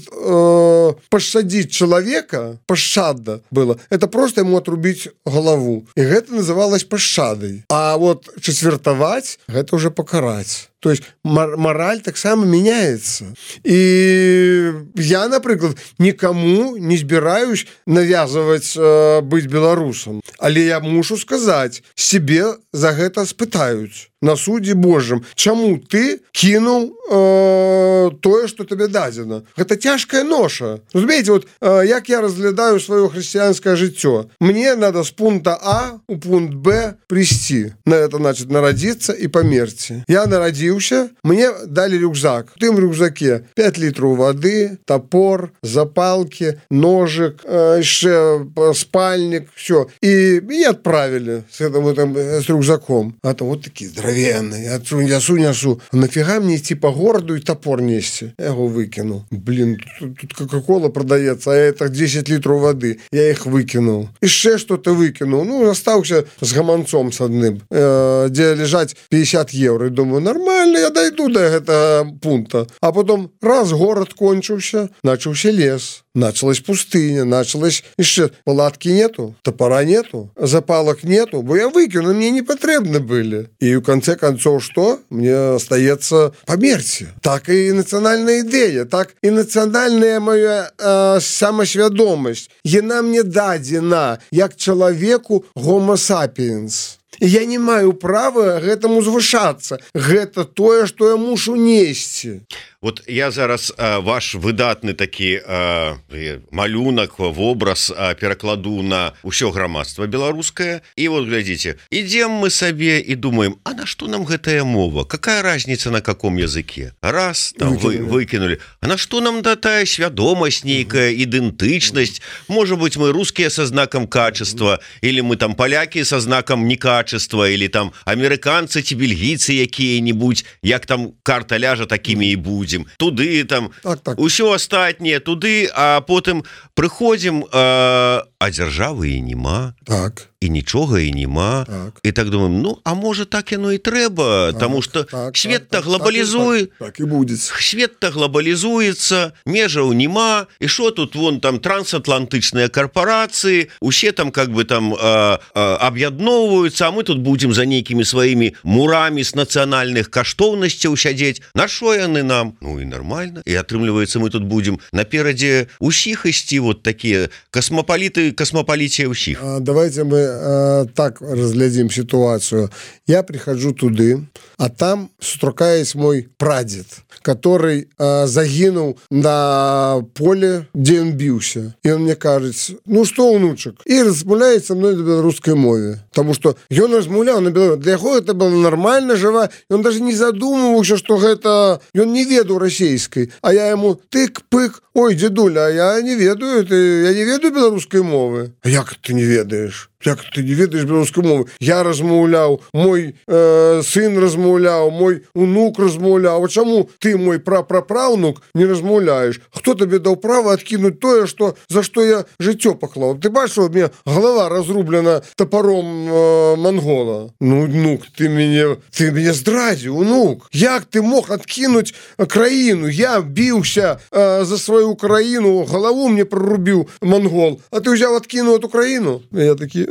пощадить человека, пощада было, это просто ему отрубить голову. И это называлось пощадой. А вот четвертовать, это уже покарать. То есть мораль так само меняется. И я, например, никому не збираюсь навязывать быть белорусом. Але я мушу сказать, себе за гэта спытаюць на судзе Божьем, чаму ты кинул тое, что тебе дадзена. Гэта тяжкая ноша. Разумеете, вот як я разглядаю свое христианское жыццё. Мне надо с пункта А у пункт Б прийти. На это значит народиться и померти. Я народился, мне дали рюкзак. В тым рюкзаке 5 литров воды, топор, запалки, ножик, еще спальник, все. И меня отправили с рюкзаком. А там вот такие здоровенные. Я несу. Нафига мне идти по городу и топор нести? Я его выкинул. Блин, тут кока-кола продается, а это 10 литров воды. Я их выкинул. Еще что-то выкинул. Ну, остался с гаманцом с одним, где лежать 50 евро. И думаю, нормально, я дойду до этого пункта. А потом раз город кончился, начался лес. Началась пустыня, началась еще палатки нету, топора нету, запалок нету, бо я выкину, мне не потребны были. И в конце концов что? Мне остается померти. Так и национальная идея, так и национальная моя самосвядомость. Яна мне дадзена, як человеку homo sapiens. Я не маю права гэтаму звышацца. Гэта тое, што я мушу несці.
Вот я зараз ваш выдатны такі малюнак, вобраз перакладу на ўсё грамадства беларускае. І вот глядзіце, ідзем мы сабе і думаем, а на што нам гэтая мова? Какая разница на каком языке? Раз, там выкинули. А на што нам тая свядомасць нейкая, ідэнтычнасць? Можа быть, мы русскія со знаком качества, или мы там поляки со знаком некачества, казачества или там амерыканцы ці бельгійцы якія-нибудь, як там карта ляжа, такімі і будзем, туды там усё астатняе туды, а потым прыходзім, а дзяржавы і нема, і нічога і нема, і так думаем, ну а можа так яно і трэба, тому что свет-то глобалізуе, свет-то глобалізуецца, межаў нема, і що тут вон там трансатлантычныя карпорацыі, усе там как бы там аб'ядноўваюцца, а мы тут будем за нейкімі сваімі мурамі з нацыянальных каштоўнасцяў сядзець. На што яны нам? Ну і нормально. І атрымліваецца, мы тут будем наперадзе усіх ісці, вот такія космопаліты, космопалітія ўсіх.
Давайте мы так разглядим ситуацию. Я прихожу туды, а там сустракаюсь мой прадед, который загинул на поле, где он бился. И он мне кажется, ну что, внучек? И размовляет со мной на белорусской мове. Потому что он размовлял на белорусской. Для него это было нормально, жива. И он даже не задумывался, что это... И он не ведал российской. А я ему тык-пык. Ой, дедуля, а я не ведаю, я не ведаю белорусской мовы. А як ты не ведаешь? Як ты не ведаешь беларускай мовы? Я размаўляў, мой сын размаўляў, мой унук размаўляў. А чаму ты, мой прапрапраўнук, не размаўляеш? Хто табе даў права адкінуць тое, за што я жыццё паклаў? Ты бачыш, у меня голова разрублена топором монгола. Ну, внук, ты мяне здрадзіў, унук. Як ты мог адкінуць краіну? Я біўся за сваю краіну, галаву мне прорубіў монгол, а ты ўзяў адкінуў эту краіну? Я такі,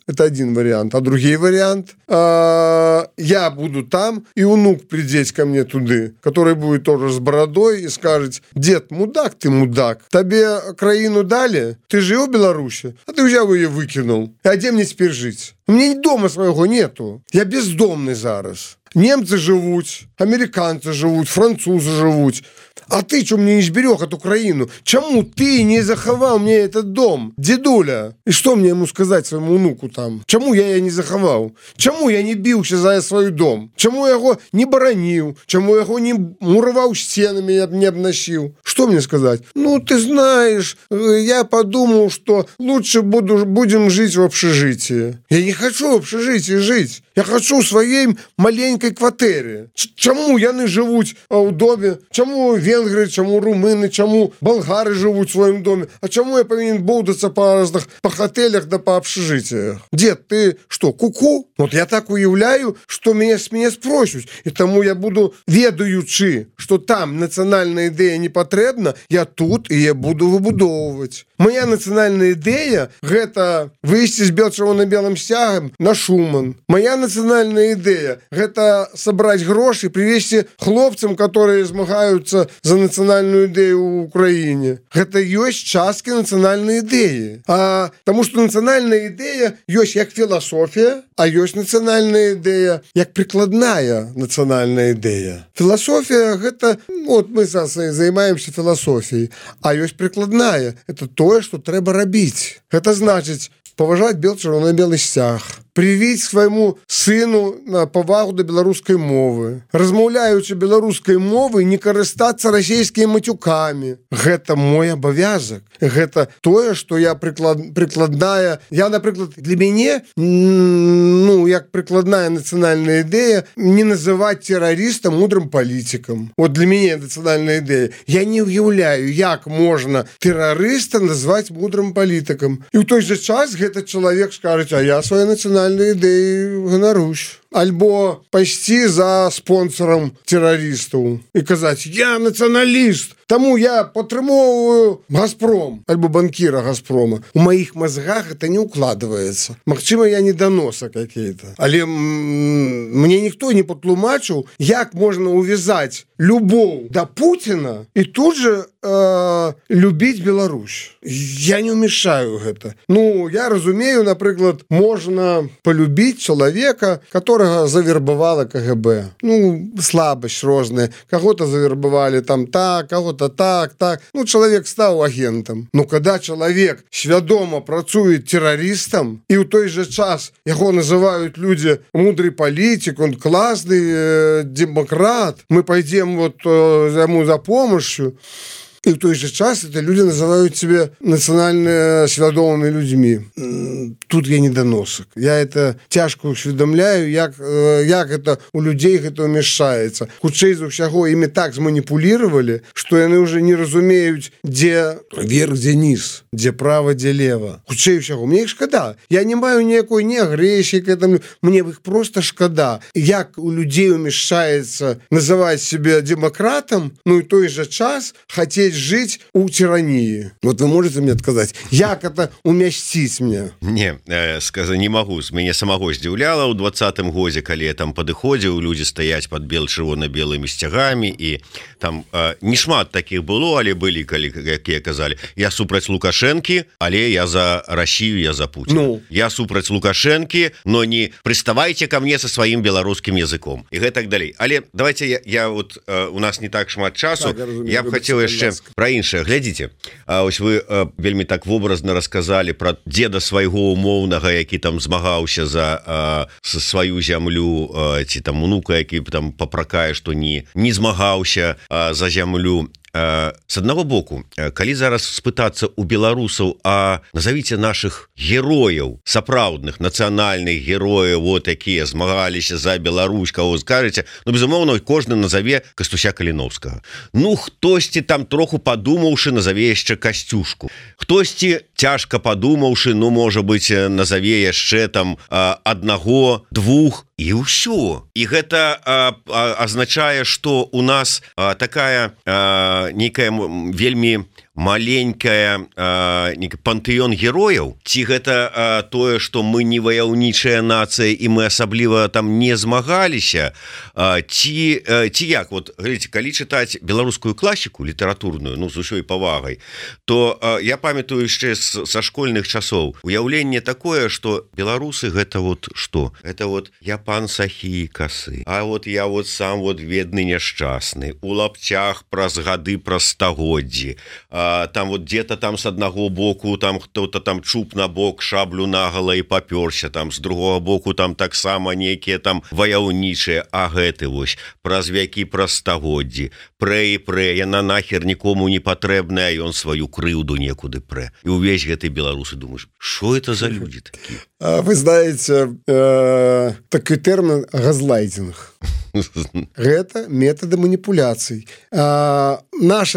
это один вариант. А другой вариант, я буду там, и внук придет ко мне туды, который будет тоже с бородой и скажет: дед, мудак ты, мудак, тебе краину дали, ты жил в Беларуси, а ты взял ее выкинул. А где мне теперь жить? У меня дома своего нету. Я бездомный зараз. Немцы живут, американцы живут, французы живут. А ты что мне не зберег эту краину? Чему ты не заховал мне этот дом, дедуля? И что мне ему сказать своему внуку там? Чему я ее не заховал? Чему я не бился за свой дом? Чему я его не боронил? Чему я его не муровал стенами, не обносил? Что мне сказать? Ну, ты знаешь, я подумал, что лучше будем жить в общежитии. Я не хочу в общежитии жить. Я хочу в своей маленькой квартире. Чему яны живут в доме? Чему венгры, чему румыны, чему болгары живут в своем доме? А чему я повинен болтаться по разных по отелях да по общежитиях? Дед, ты что, ку-ку? Вот я так уявляю, что меня спросят. И тому я буду ведаючи, что там национальная идея не потребна, я тут и я буду выбудовывать. Моя национальная идея – это выйти с червоно-белым стягом на Шуман. Моя национальная идея – это собрать гроши и привезти хлопцам, которые змагаются за национальную идею в Украине. Это есть частки национальной идеи. Потому что национальная идея есть как философия, а есть национальная идея как прикладная национальная идея. Философия – это, вот мы занимаемся философией, а есть прикладная – это то, что трэба рабіць. Это значит поважать червоно-белый стяг, привить свайму сыну на повагу до беларускай мовы, размаўляючы беларускай мовы, не карыстацца расійскімі матюкамі. Гэта мой абавязак. Гэта тое, што я прыкладная. Я, напрыклад, для мяне, як прыкладная нацыянальная ідэя, не называць тэрарыста мудрым палітыкам. Вот для мяне нацыянальная ідэя. Я не уяўляю, як можна тэрарыста назваць мудрым палітыкам. І ў той же час гэты чалавек скажа: а я свае нацыянальныя ідеі ганарусь. Альбо пайсці за спонсором тэрарыстаў і казаць: я нацыяналіст, таму я падтрымоўваю Газпром, альбо банкіра Газпрома. У маіх мозгах это не укладывается. Магчыма, я недоноса какие-то. Але мне ніхто не патлумачыў, як можна увязаць любоў да Путина і тут же любіць Беларусь. Я не умешаю гэта. Я разумею, напрыклад, можна полюбіць чалавека, которого завербовала КГБ. Слабость розная. Кого-то завербовали там так, кого-то так. Человек стал агентом. Но когда человек свядома працует террористом, и в той же час его называют люди мудрый политик, он классный демократ, мы пойдем ему за помощью. и в той же час это люди называют себя национально свядомыми людьми. Тут я недоносок. Я это тяжко усведомляю, як это у людей это умешается. Хутчэй за ўсяго ими так зманипулировали, что яны уже не разумеют, где вверх, где низ, где право, где лево. Хутчэй усяго. Мне их шкада. Я не маю никакой ни агрессии к этому. Мне их просто шкада. Як у людей умешается называть себя демократом, ну и той же час хотеть жить у тирании. Вот вы можете мне сказать, як это умясціць мне?
Не, не могу. Мяне самого здзіўляла ў 20-м годзе, калі я там падыходзіў, людзі стаяць под чырвона-белымі сцягамі, і там не шмат таких было, але былі, калі, якія казалі, я супраць Лукашэнкі, але я за Россию, я за Путина. Ну. Я супраць Лукашэнкі, но не приставайте ко мне со своим беларускім языком. І гэтак далей. Але давайте я вот, у нас не так шмат часу, так, я б хацеў яшчэ пра іншае. Глядзіце, ось вы вельмі так вобразна расказалі пра деда свайго умоўнага, які там змагаўся за сваю зямлю, ці там унука, які там папракае, што не змагаўся за зямлю. С одного боку, калі зараз спытацца у беларусаў, а назовите наших герояў, сапраўдных нацыянальных герояў, вот якія змагаліся за Беларусь, кого скажете, ну, безумоўно, кожны назове Кастуся Каліновскага. Ну, хтосьці там троху падумаўшы, назове яшчэ Касцюшку. Хтосьці цяжка падумаўшы, ну, можа быть, назове яшчэ там аднаго, двух, і ўсё. І гэта азначае, што у нас такая некая вельмі маленькая пантэон герояў, ці гэта тое, што мы не ваяўнічая нацыя і мы асабліва там не змагаліся, ці як, вот глядзіце, калі чытаць беларускую класіку літаратурную, ну, з усёй павагай, то я памятаю яшчэ са школьных часоў уяўленне такое, што беларусы гэта вот што? Это вот я пан сахі касы, а вот я вот сам вот бедны няшчасны, у лапцях праз гады, праз стагоддзі, там вот где-то там с одного боку там кто-то там чуб на бок, шаблю наголо и попёрся, там с другого боку там таксама некие там ваяўнічыя, а гэты вось праз вякі, праз стагоддзі прэ і прэ, яна нахер нікому не патрэбная, ён сваю крыўду некуды прэ. І увесь гэты беларусы думаешь, что это за люди такие?
Вы знаете такой термин газлайтинг. Гэта методы маніпуляцый. Наш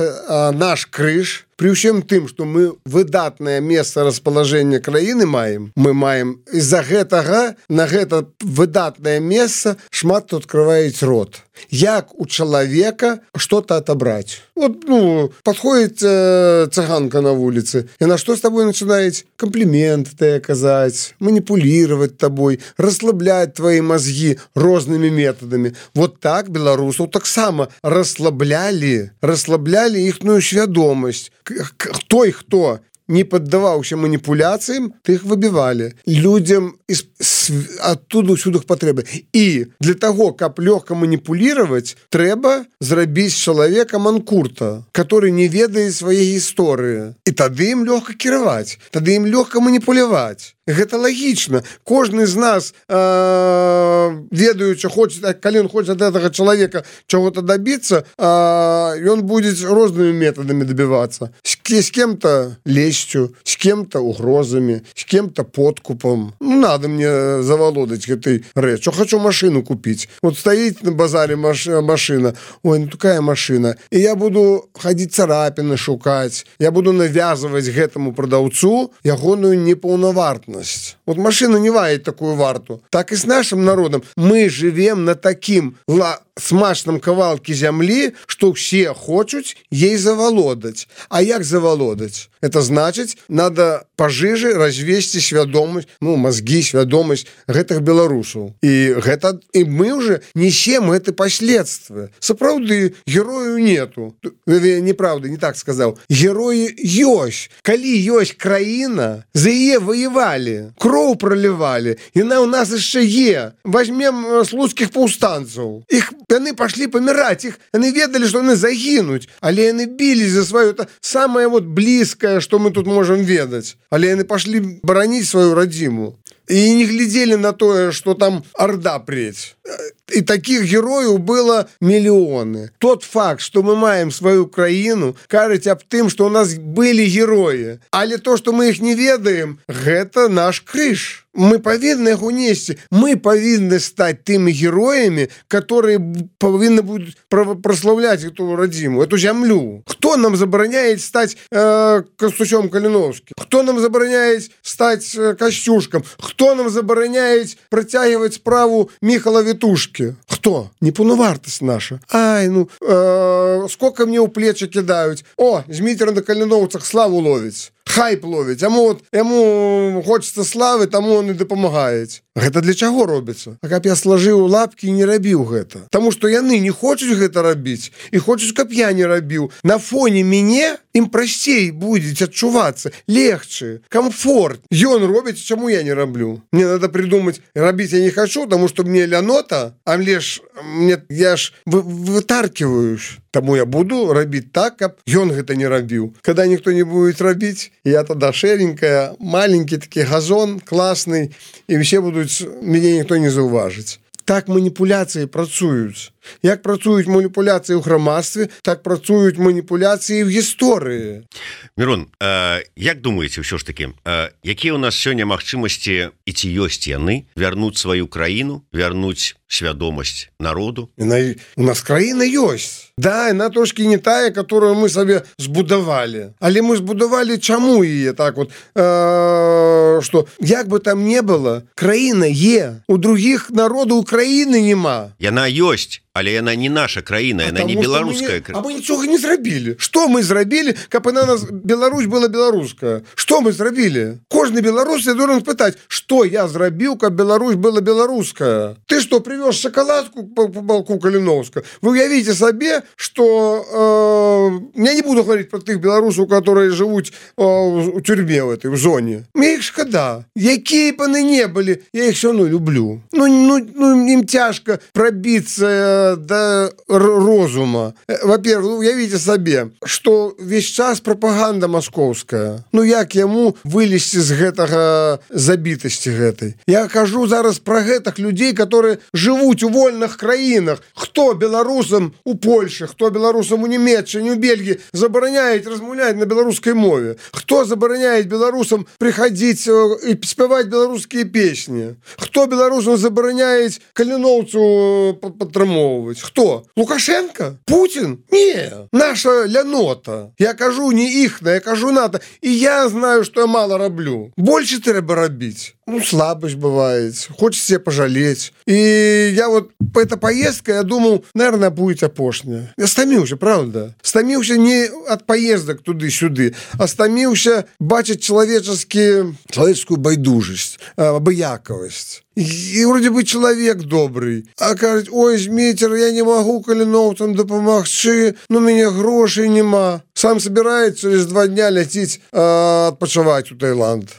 крыж, при ўсім тым, што мы выдатнае месца распалажэння краіны маем, мы маем из-за гэтага на гэта выдатнае месца шмат хто открываюць рот. Як у человека что-то отобрать. Вот, ну, подходит цыганка на улице, и на что с тобой начинает комплименты оказать, манипулировать тобой, расслаблять твои мозги разными методами. Вот так белорусов так само расслабляли ихную свядомость. Кто не поддаваўся маніпуляцыям, тых выбівалі. Людям оттуда ўсюды патрэбы. І для того, каб лёгка маніпулировать, трэба зрабіць чалавека манкурта, который не ведае свае гісторыі. І тады ім лёгка кіраваць, тады ім лёгка маніпуляваць. Гэта лагічна. Кожны з нас, ведаючы, калі ён хоча ад гэтага чалавека чаго-то добиться, ён будзе рознымі методамі добиваться. С кем-то лестью, с кем-то угрозами, с кем-то подкупом. Ну, надо мне заволодать этой речью. Хочу машину купить. Вот стоит на базаре машина. Ой, ну такая машина. И я буду ходить царапины шукать. Я буду навязывать гэтому продавцу ягоную неполновартность. Вот машина не вает такую варту. Так и с нашим народом. Мы живем на таким смачном кавалке земли, что все хочут ей заволодать. А як заволодать? Это значит, надо пожиже развесці свядомасць, ну, мозги, свядомасць гэтых беларусаў. И мы уже несем это последствия. Сапраўды, герою нету. Неправда, не так сказал. Герои ёсць. Калі ёсць краіна, за яе воевали, кроў проливали, яна у нас яшчэ є. Возьмем слуцкіх паўстанцаў. Яны пошли помирать, яны ведали, что яны загинуть, але яны бились за свое, это самое вот близкое, что мы тут можем ведать. Але яны пошли боронить свою родиму. и не глядели на то, что там орда преть. И таких героев было миллионы. Тот факт, что мы маем свою краіну, кажуть об тым, что у нас были герои. Але то, что мы их не ведаем, это наш крыш. Мы повинны их унести. Мы повинны стать теми героями, которые повинны будут прославлять эту родимую, эту землю. Кто нам забороняет стать Костусем Калиновским? Кто нам забороняет стать Костюшком? Кто нам забороняет протягивать справу Михала Витушки? Кто? Непоновартость наша. Ай, ну, сколько мне у плечи кидают. О, Змитер на Калиновцах славу ловить. Хайп ловить, яму хочется славы, таму он и дапамагаюць. Гэта для чаго робіцца? А каб я сложыў лапки і не рабіў гэта. Таму што яны не хочуць гэта рабіць і хочуць, каб я не рабіў. На фоне мяне ім прасцей будзе адчувацца, легче, комфорт. Ён робіць, чаму я не раблю? Мне надо придумать, рабіць я не хочу, таму што мне лянота, а я ж вытаркиваюсь. Таму я буду рабіць так, каб ён гэта не рабіў. Когда ніхто не будет рабіць, я тогда шеренькая, маленький такі газон, классный, и все будут, мяне ніхто не заўважыць. Так маніпуляцыі працуюць. Як працуюць маніпуляцыі ў грамадстве, так працуюць маніпуляцыі ў гісторыі.
Мирон, як думаеце ўсё ж таки, якія ў нас сёння магчымасці і ці ёсць яны вярнуць сваю краіну, вярнуць свядомасць народу?
У нас краіна ёсць. Да, яна трошки не тая, которую мы сабе збудавалі. Але мы збудавалі чаму яе так вот, что як бы там не было, краіна є. У других народаў краіны нема.
Яна ёсць. Але яна не наша краіна, яна не беларуская краіна.
А мы нічога не зрабілі. Што мы зрабілі, каб на нас Беларусь была беларуская? Што мы зрабілі? Кожны беларус должен спытаць, што я зрабіў, каб Беларусь была беларуская? Ты што, привёз шоколадку по балку Калиновска? Вы уявите сабе, что я не буду говорить про тых беларусаў, которые живут у тюрьме в этой, в зоне. Мне их шкода. Якія б яны не былі, я их все равно люблю. Ну, им тяжко пробиться до розума. Во-первых, уявите сабе, что весь час пропаганда московская. Ну, як яму вылезти з гэтага забітасці гэтай? Я кажу зараз про гэтых людей, которые живут у вольных краінах. Кто белорусам у Польши, кто белорусам у Немеччине, у Бельгии забороняет размаўляць на белорусской мове? Кто забороняет белорусам приходить и спевать белорусские песни? Кто белорусам забороняет Калиновцу падтрымоўваць? Кто? Лукашенко? Путин? Не. Наша лянота. Я кажу не ихна, я кажу НАТО. И я знаю, что я мало раблю. Больше трэба рабіць. Ну, слабость бывает. Хочется себе пожалеть. И я вот по этой поездке, я думал, наверное, будет апошняя. Я стаміўся, правда? Стаміўся не от поездок туды-сюды, а стаміўся бачить человеческую байдужесть, абыякавасць. И вроде бы человек добрый. А кажуть, ой, Змитер, я не могу Калиновцам дапамагчы, но у меня грошей нема. Сам собирается через 2 дня лететь отпочивать в Таиланд.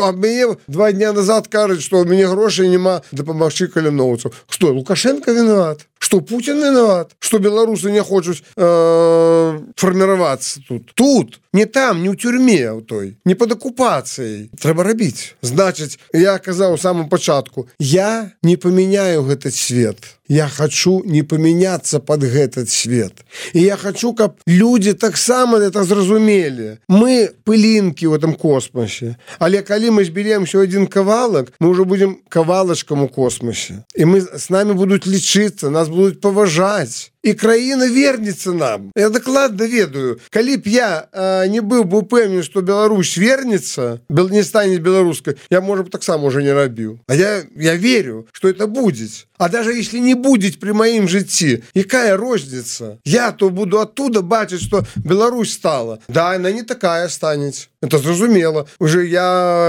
А мне 2 дня назад кажуть, что у меня грошей нема дапамагчы Калиновцам. Что, Лукашенко виноват? Что, Путин виноват? Что белорусы не хочут формироваться тут? Тут, не там, не в тюрьме у той, не под оккупацией. Трэба рабіць. Значит, я казаў у самом початку, я не поменяю этот свет. Я хочу не поменяться под этот свет. И я хочу, каб люди таксама это зразумели. Мы пылинки в этом космосе. Але калі мы зберемся один кавалак, мы уже будем кавалачком у космосе. И с нами будут лечиться, нас будут поважать. И краіна вернется нам. Я докладно ведаю. Калі б я не был бы упэўнен, что Беларусь вернется, не станет белорусской, я, может, так сам уже не рабіў. А я верю, что это будет. А даже если не будет при моим житті, якая розница? Я то буду оттуда бачить, что Беларусь стала. Да, она не такая станет. Это зразумело. Уже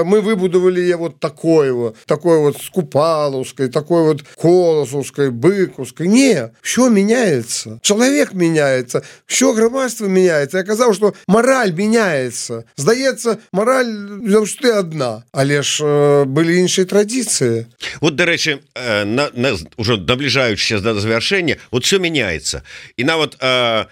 мы выбудовали ее вот такой вот Скупаловской, такой вот Колосовской, Быковской. Не, все меняется. Человек меняется, все громадство меняется. Я казаў, что мораль меняется. Здаецца, мораль заўжды одна. Але ж были іншыя традиции.
Вот, до речи, уже наближаючись до завершения, вот все меняется. И нават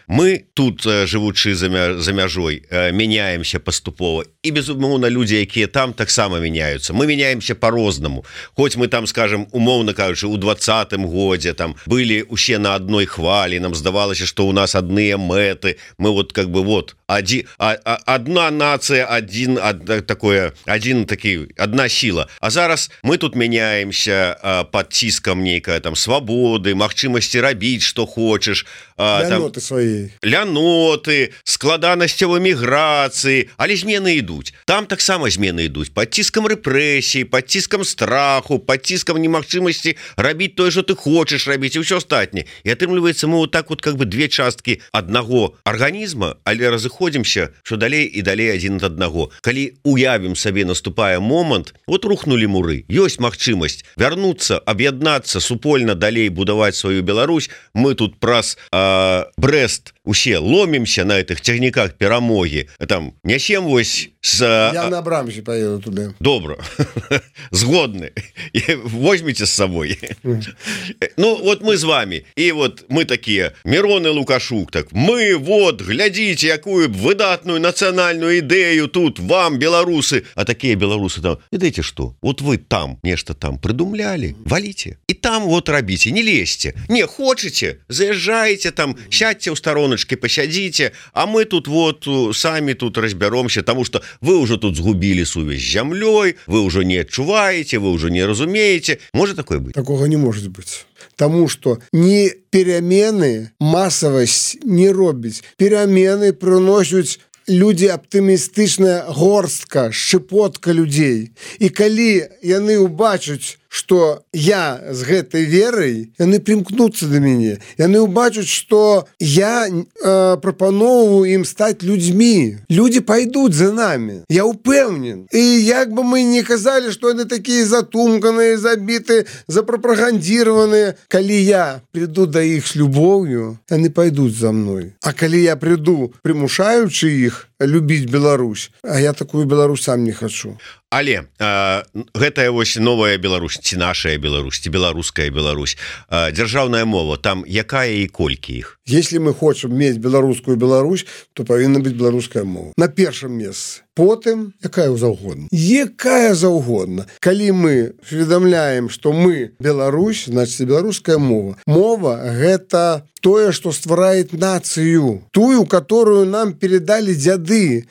мы тут, живучи за мяжой, меняемся поступово. паступова і безумоўна людзі якія там таксама мяняюцца мы меняемся по-рознаму хоць мы там скажем умоўна кажучы у 20-м годзе там былі усе на адной хвалі нам здавалася что у нас адныя мэты мы вот как бы вот одна нация один такі одна сила а зараз мы тут меняемся под ціскам нейкая там свабоды магчымасці рабіць что хочешь
ляноты свои
ляноты складанасцяў эміграцыі але змены ідуць там таксама змены ідуць под ціскам рэпрэсій под ціскам страху под ціскам немагчымасці рабіць тое что ты хочешь рабіць і ўсё астатняе і атрымліваецца мы вот так вот как бы две часткі аднаго арганізма але разыходзімся что далей і далей адзін ад аднаго калі уявім сабе наступае момант вот рухнули муры ёсць магчымасць вярнуцца аб'яднацца супольна далей будаваць сваю Беларусь мы тут праз Брест усе ломимся на этих цягніках перамоги там нясем вось
я на Абрамсе поеду туды
добра згодны возьмите с собой ну вот мы з вами і вот мы такія Мирон и Лукашук так мы вот глядзіце якую выдатную нацыянальную ідэю тут вам беларусы а такія беларусы там ведаеце что вот вы там нешта там придумляли валите і там вот рабіце не лезьте не хочете заезжаете там сядьте ў стороночке посядзіце а мы тут вот сами тут разбяромся тому что вы уже тут згубили сувязь з зямлёй вы уже не адчуваете вы уже не разумеете может такое быть
такого не может быть тому что не перамены массовасць не робіць перамены прыносяць люди аптымістычная горстка шчыпотка людзей і калі яны убачаць что я з гэтай верай яны прымкнуцца да мяне яны убачаць что я прапаноўваю ім стаць людзьмі люди пойдут за нами я упэўнен і як бы мы не казалі что яны такія затумканыя забіты запрапагандзіраваныя калі я приду да іх с любоўю яны пойдут за мной а калі я приду прымушаючы іх любіць Беларусь а я такую Беларусь сам не хочу
але гэтая вось новая Беларусь ці нашая Беларусь ці беларуская Беларусь дзяржаўная мова там якая і колькі іх
если мы хочам мець беларускую Беларусь то павінна быць беларуская мова на першым месцы потым якая заўгодна калі мы уведамляем что мы Беларусь значит беларуская мова гэта тое что стварает нацыю тую которую нам передали дзяды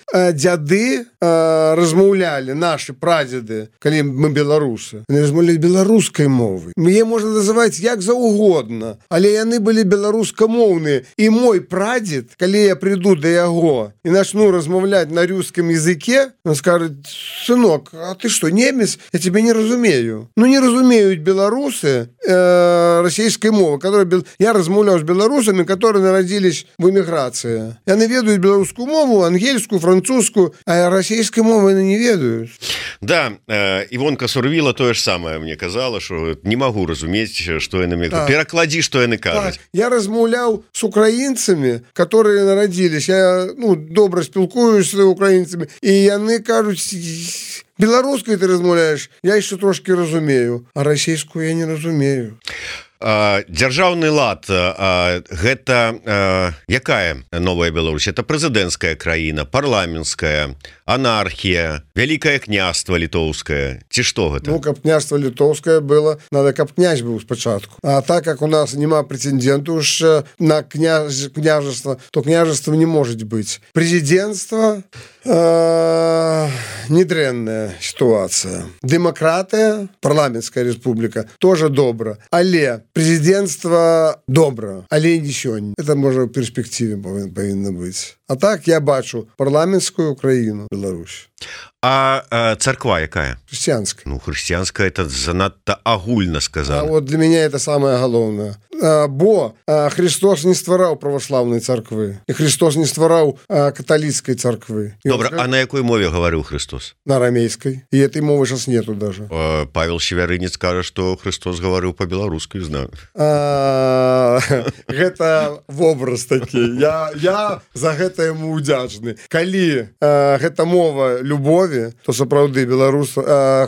размаўлялі наши прадзеды калі мы беларусы размаўлялі беларускай мовы мне можна называць як заўгодна але яны былі беларускамоўныя і мой прадзед калі я приду да яго і начну размаўляць на рускім языке он скажет сынок а ты что немец я тебе не разумею ну не разумеюць беларусы расійскай мовы которая я размаўляю з беларусамі которые нарадзілись в эміграцыі яны ведаюць беларускую мову ангельскую французскую а расійскай мовы яны не ведаюць
да Івонка Сурвіла тое ж самае мне казала что не могу разумець что яны перакладзі что яны кажуць
я размаўляў с украінцамі которые нарадзілись я добра спілкуюсь з украінцамі і яны кажуць беларускай ты размаўляешь я еще трошки разумею а расійскую я не разумею
дзяржаўны лад гэта якая новая Беларусь это прэзідэнцкая краіна парламенцкая анархія вялікае княства літоўскае ці што гэта
каб княства літоўскае было надо каб князь быў спачатку а так как у нас няма прэтэндэнту ж на княжества то княжества не может быть прэзідэнцтва недрэнная ситуация дэмакратыя парламенцкая республика тоже добра але прэзідэнцтва добра але не сёння это можа в перспектыве павінна быць а так я бачу парламенцкую Украіну Беларусь
а царква якая
хрысціянская
хрысціянская это занадта агульна сказано
вот для меня это самое галоўнае бо Христос не ствараў праваслаўнай царквы і Христос не ствараў каталіцкай царквы
добра а на якой мове гаварыў Христос
на арамейской и этой мовы сейчас нету даже
Павел Севярынец кажа что Христос гаварыў по-беларуску знаю
гэта вобраз такі я за гэта яму удзячны калі гэта мова любові, то сапраўды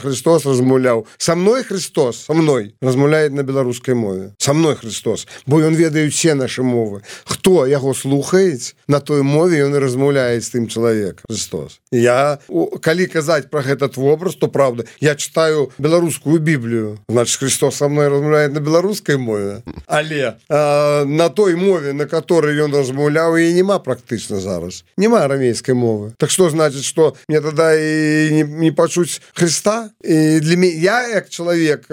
Христос размаўляў. Со мной Христос, со мной размаўляет на беларускай мове. Со мной Христос, бо ён ведае все наши мовы. Хто яго слухаюць, на той мове ён і размаўляе з тым чалавекам. Христос. Я, калі казаць про этот вобраз, то правда, я читаю беларускую Біблію. Значит, Христос со мной размаўляет на беларускай мове. Але на той мове, на которой ён размаўляў, і нема практычна зараз. Нема арамейской мовы. Так что значит, что мне тогда и не почуть Христа? И для меня, я как человек,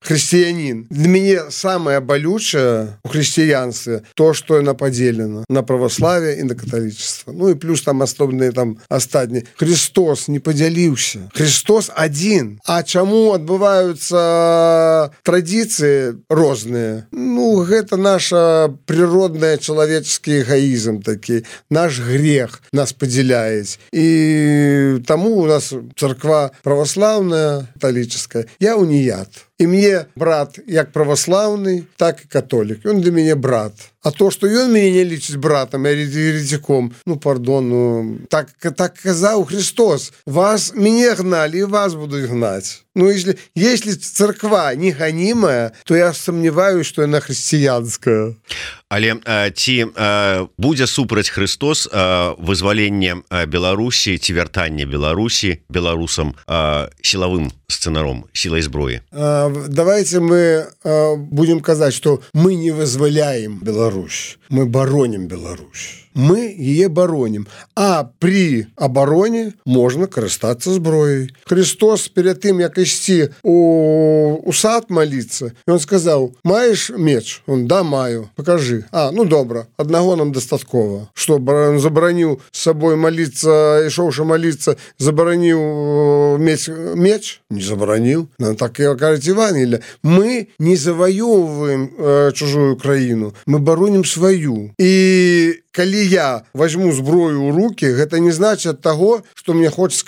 христианин, для меня самое болючее в христианстве то, что оно поделено на православие и на католичество. Ну и плюс там особенные там остатние. Христос не поделился. Христос один. А чему отбываются традиции разные? Ну, это наша природная человеческий эгоизм таки. Наш грех нас поделяет. И тому у нас церква православная, католическая. Я уніят. И мне брат як православный, так и католик. Он для меня брат. А то, что он меня не лечит братом, я еретиком, ну, пардон, ну, так казал Христос. Меня гнали, и вас будут гнать. Ну, если церква не гонимая, то я сомневаюсь, что она христианская.
Але ці будзе супраць Христос вызваленне Беларусі ці вяртанне Беларусі беларусам силовым сцэнаром, силой зброі?
Давайте мы будем казать, что мы не вызволяем Беларусь, мы бороним Беларусь. Мы ее бороним. А при обороне можно користаться зброей. Христос перед тем, как идти у сад молиться, он сказал: маешь меч? Он: да, маю. Покажи. Ну добро, одного нам достатково. Что, он заборонил с собой молиться, и шоуши молиться, заборонил меч? Не заборонил. Так и кажет Евангелие. Мы не завоевываем чужую краину, мы бороним свою. И калі я возьму зброю ў руки, гэта не значит того, что мне хочется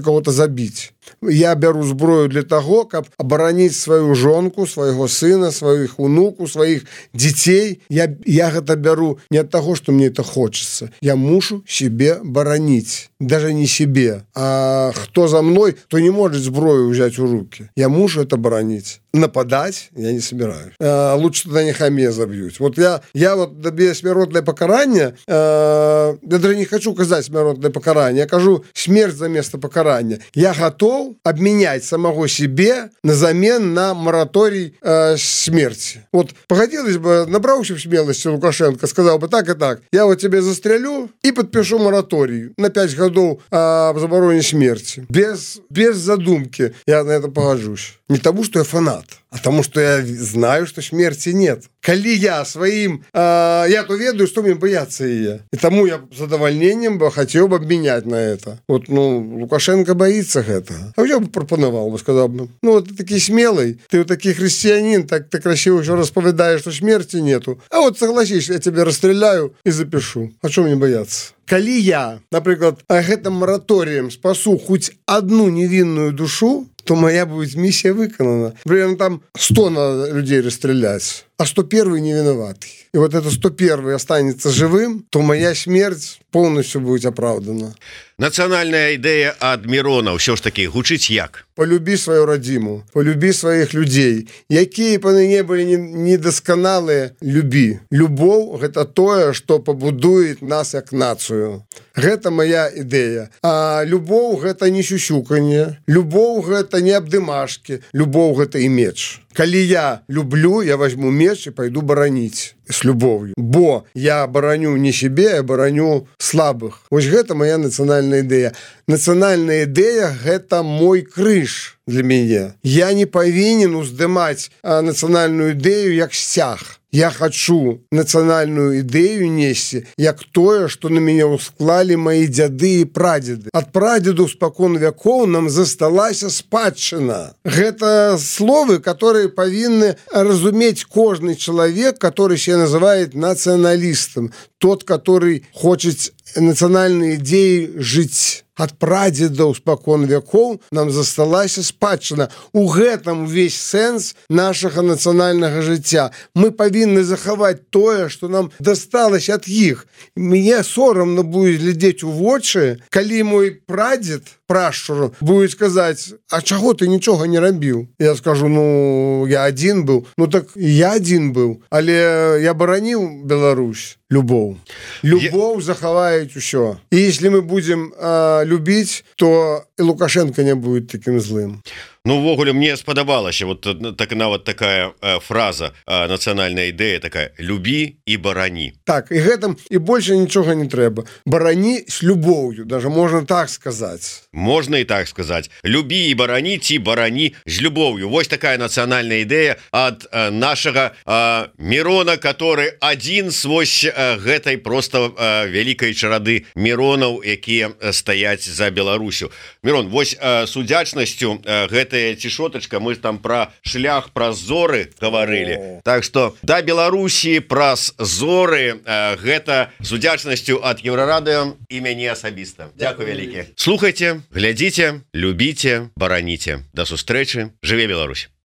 кого-то забить. Я беру зброю для того, каб оборонить свою жонку, своего сына, своих унуку, своих детей. Я гэта беру не от того, что мне это хочется. Я мушу себе боронить. Даже не себе. А кто за мной, то не может зброю взять в руки. Я мушу это боронить. Нападать я не собираюсь. Лучше тогда нехай меня забьют. Вот я вот добью смертное покарание. Я даже не хочу казать смертное покарание. Я кажу смерть за место покарания. Я готов обменять самого себе на замен на мораторий смерти. Вот погодилось бы, набравшись смелости Лукашенко, сказал бы так и так: я вот тебе застрелю и подпишу мораторий на 5 годов об забороне смерти. Без задумки я на это погоджусь. Не тому, что я фанат, а тому, что я знаю, что смерти нет. Коли я своим... я то ведаю, что мне бояться ее. И тому я с задовольнением бы хотел бы обменять на это. Вот, Лукашенко боится этого. А я бы пропоновал бы, сказал бы: ну, вот ты такой смелый, ты вот такой христианин, так ты красиво еще расповедаешь, что смерти нету. А вот согласись, я тебя расстреляю и запишу. А что мне бояться? Коли я, например, гэтым мораторием спасу хоть одну невинную душу, то моя будет миссия выполнена. Примерно там 100 надо людей расстрелять, а 101 не виноватый. И вот это 101 останется живым, то моя смерть полностью будет оправдана.
Национальная идея ад Мирона все ж таки гучыць як?
Полюби свою родиму, полюби своих людей. Якія б они не были недосконалые, люби. Любовь – это то, что побудует нас как нацию. Это моя идея. А любовь – это не сюсюканье. Любовь – это не обдымашки. Любовь – это и меч. Коли я люблю, я возьму меч и пойду боронить с любовью. Бо я бороню не себе, я бороню слабых. Вот это моя национальная идея. Национальная идея – это мой крыш для меня. Я не повинен уздымать национальную идею як стяг. Я хочу национальную идею нести, як тое, что на меня усклали мои дзяды и прадеды. От прадедов спокон веков нам засталася спадчына. Это словы, которые повинны разуметь каждый человек, который себя называет националистом. Тот, который хочет национальной идеей жить. ад прадзедаў спакон вякоў нам засталася спадчына. У гэтым увесь сэнс нашага нацыянальнага жыцця. Мы павінны захаваць тое, што нам дасталася ад іх. Мне сорамна будзе глядзець у вочы, калі мой прадзед прашчуру будет сказаць: а чаго ты нічога не рабіў? Я скажу: ну я адзін быў. Ну так я адзін быў, але я бараніў Беларусь. Любоў захаваюць усё. І если мы будем любіць, то і Лукашенко не будет таким злым.
Ну, увогуле, мне спадабалася вот так, нават такая фраза, нацыянальная ідэя такая: любі і барані.
Так, і гэтым і больше нічога не трэба. Барані з любоўю, даже можна так сказаць.
Можна і так сказаць. Любі і барані, ці барані з любоўю. Вось такая нацыянальная ідэя ад нашага Мірона, который адзін з вось гэтай просто вялікай чарады Міронаў, якія стаяць за Беларусю. Мірон, вось с удзячнасцю гэтая цішотачка, мы там пра шлях праз зоры гаварылі. Так што да Беларусі праз зоры, гэта з удзячнасцю ад Еўрарадыё і мяне асабіста. Дзякуй вялікі. Слухайце, глядзіце, любіце, бараніце. Да сустрэчы. Жыве Беларусь.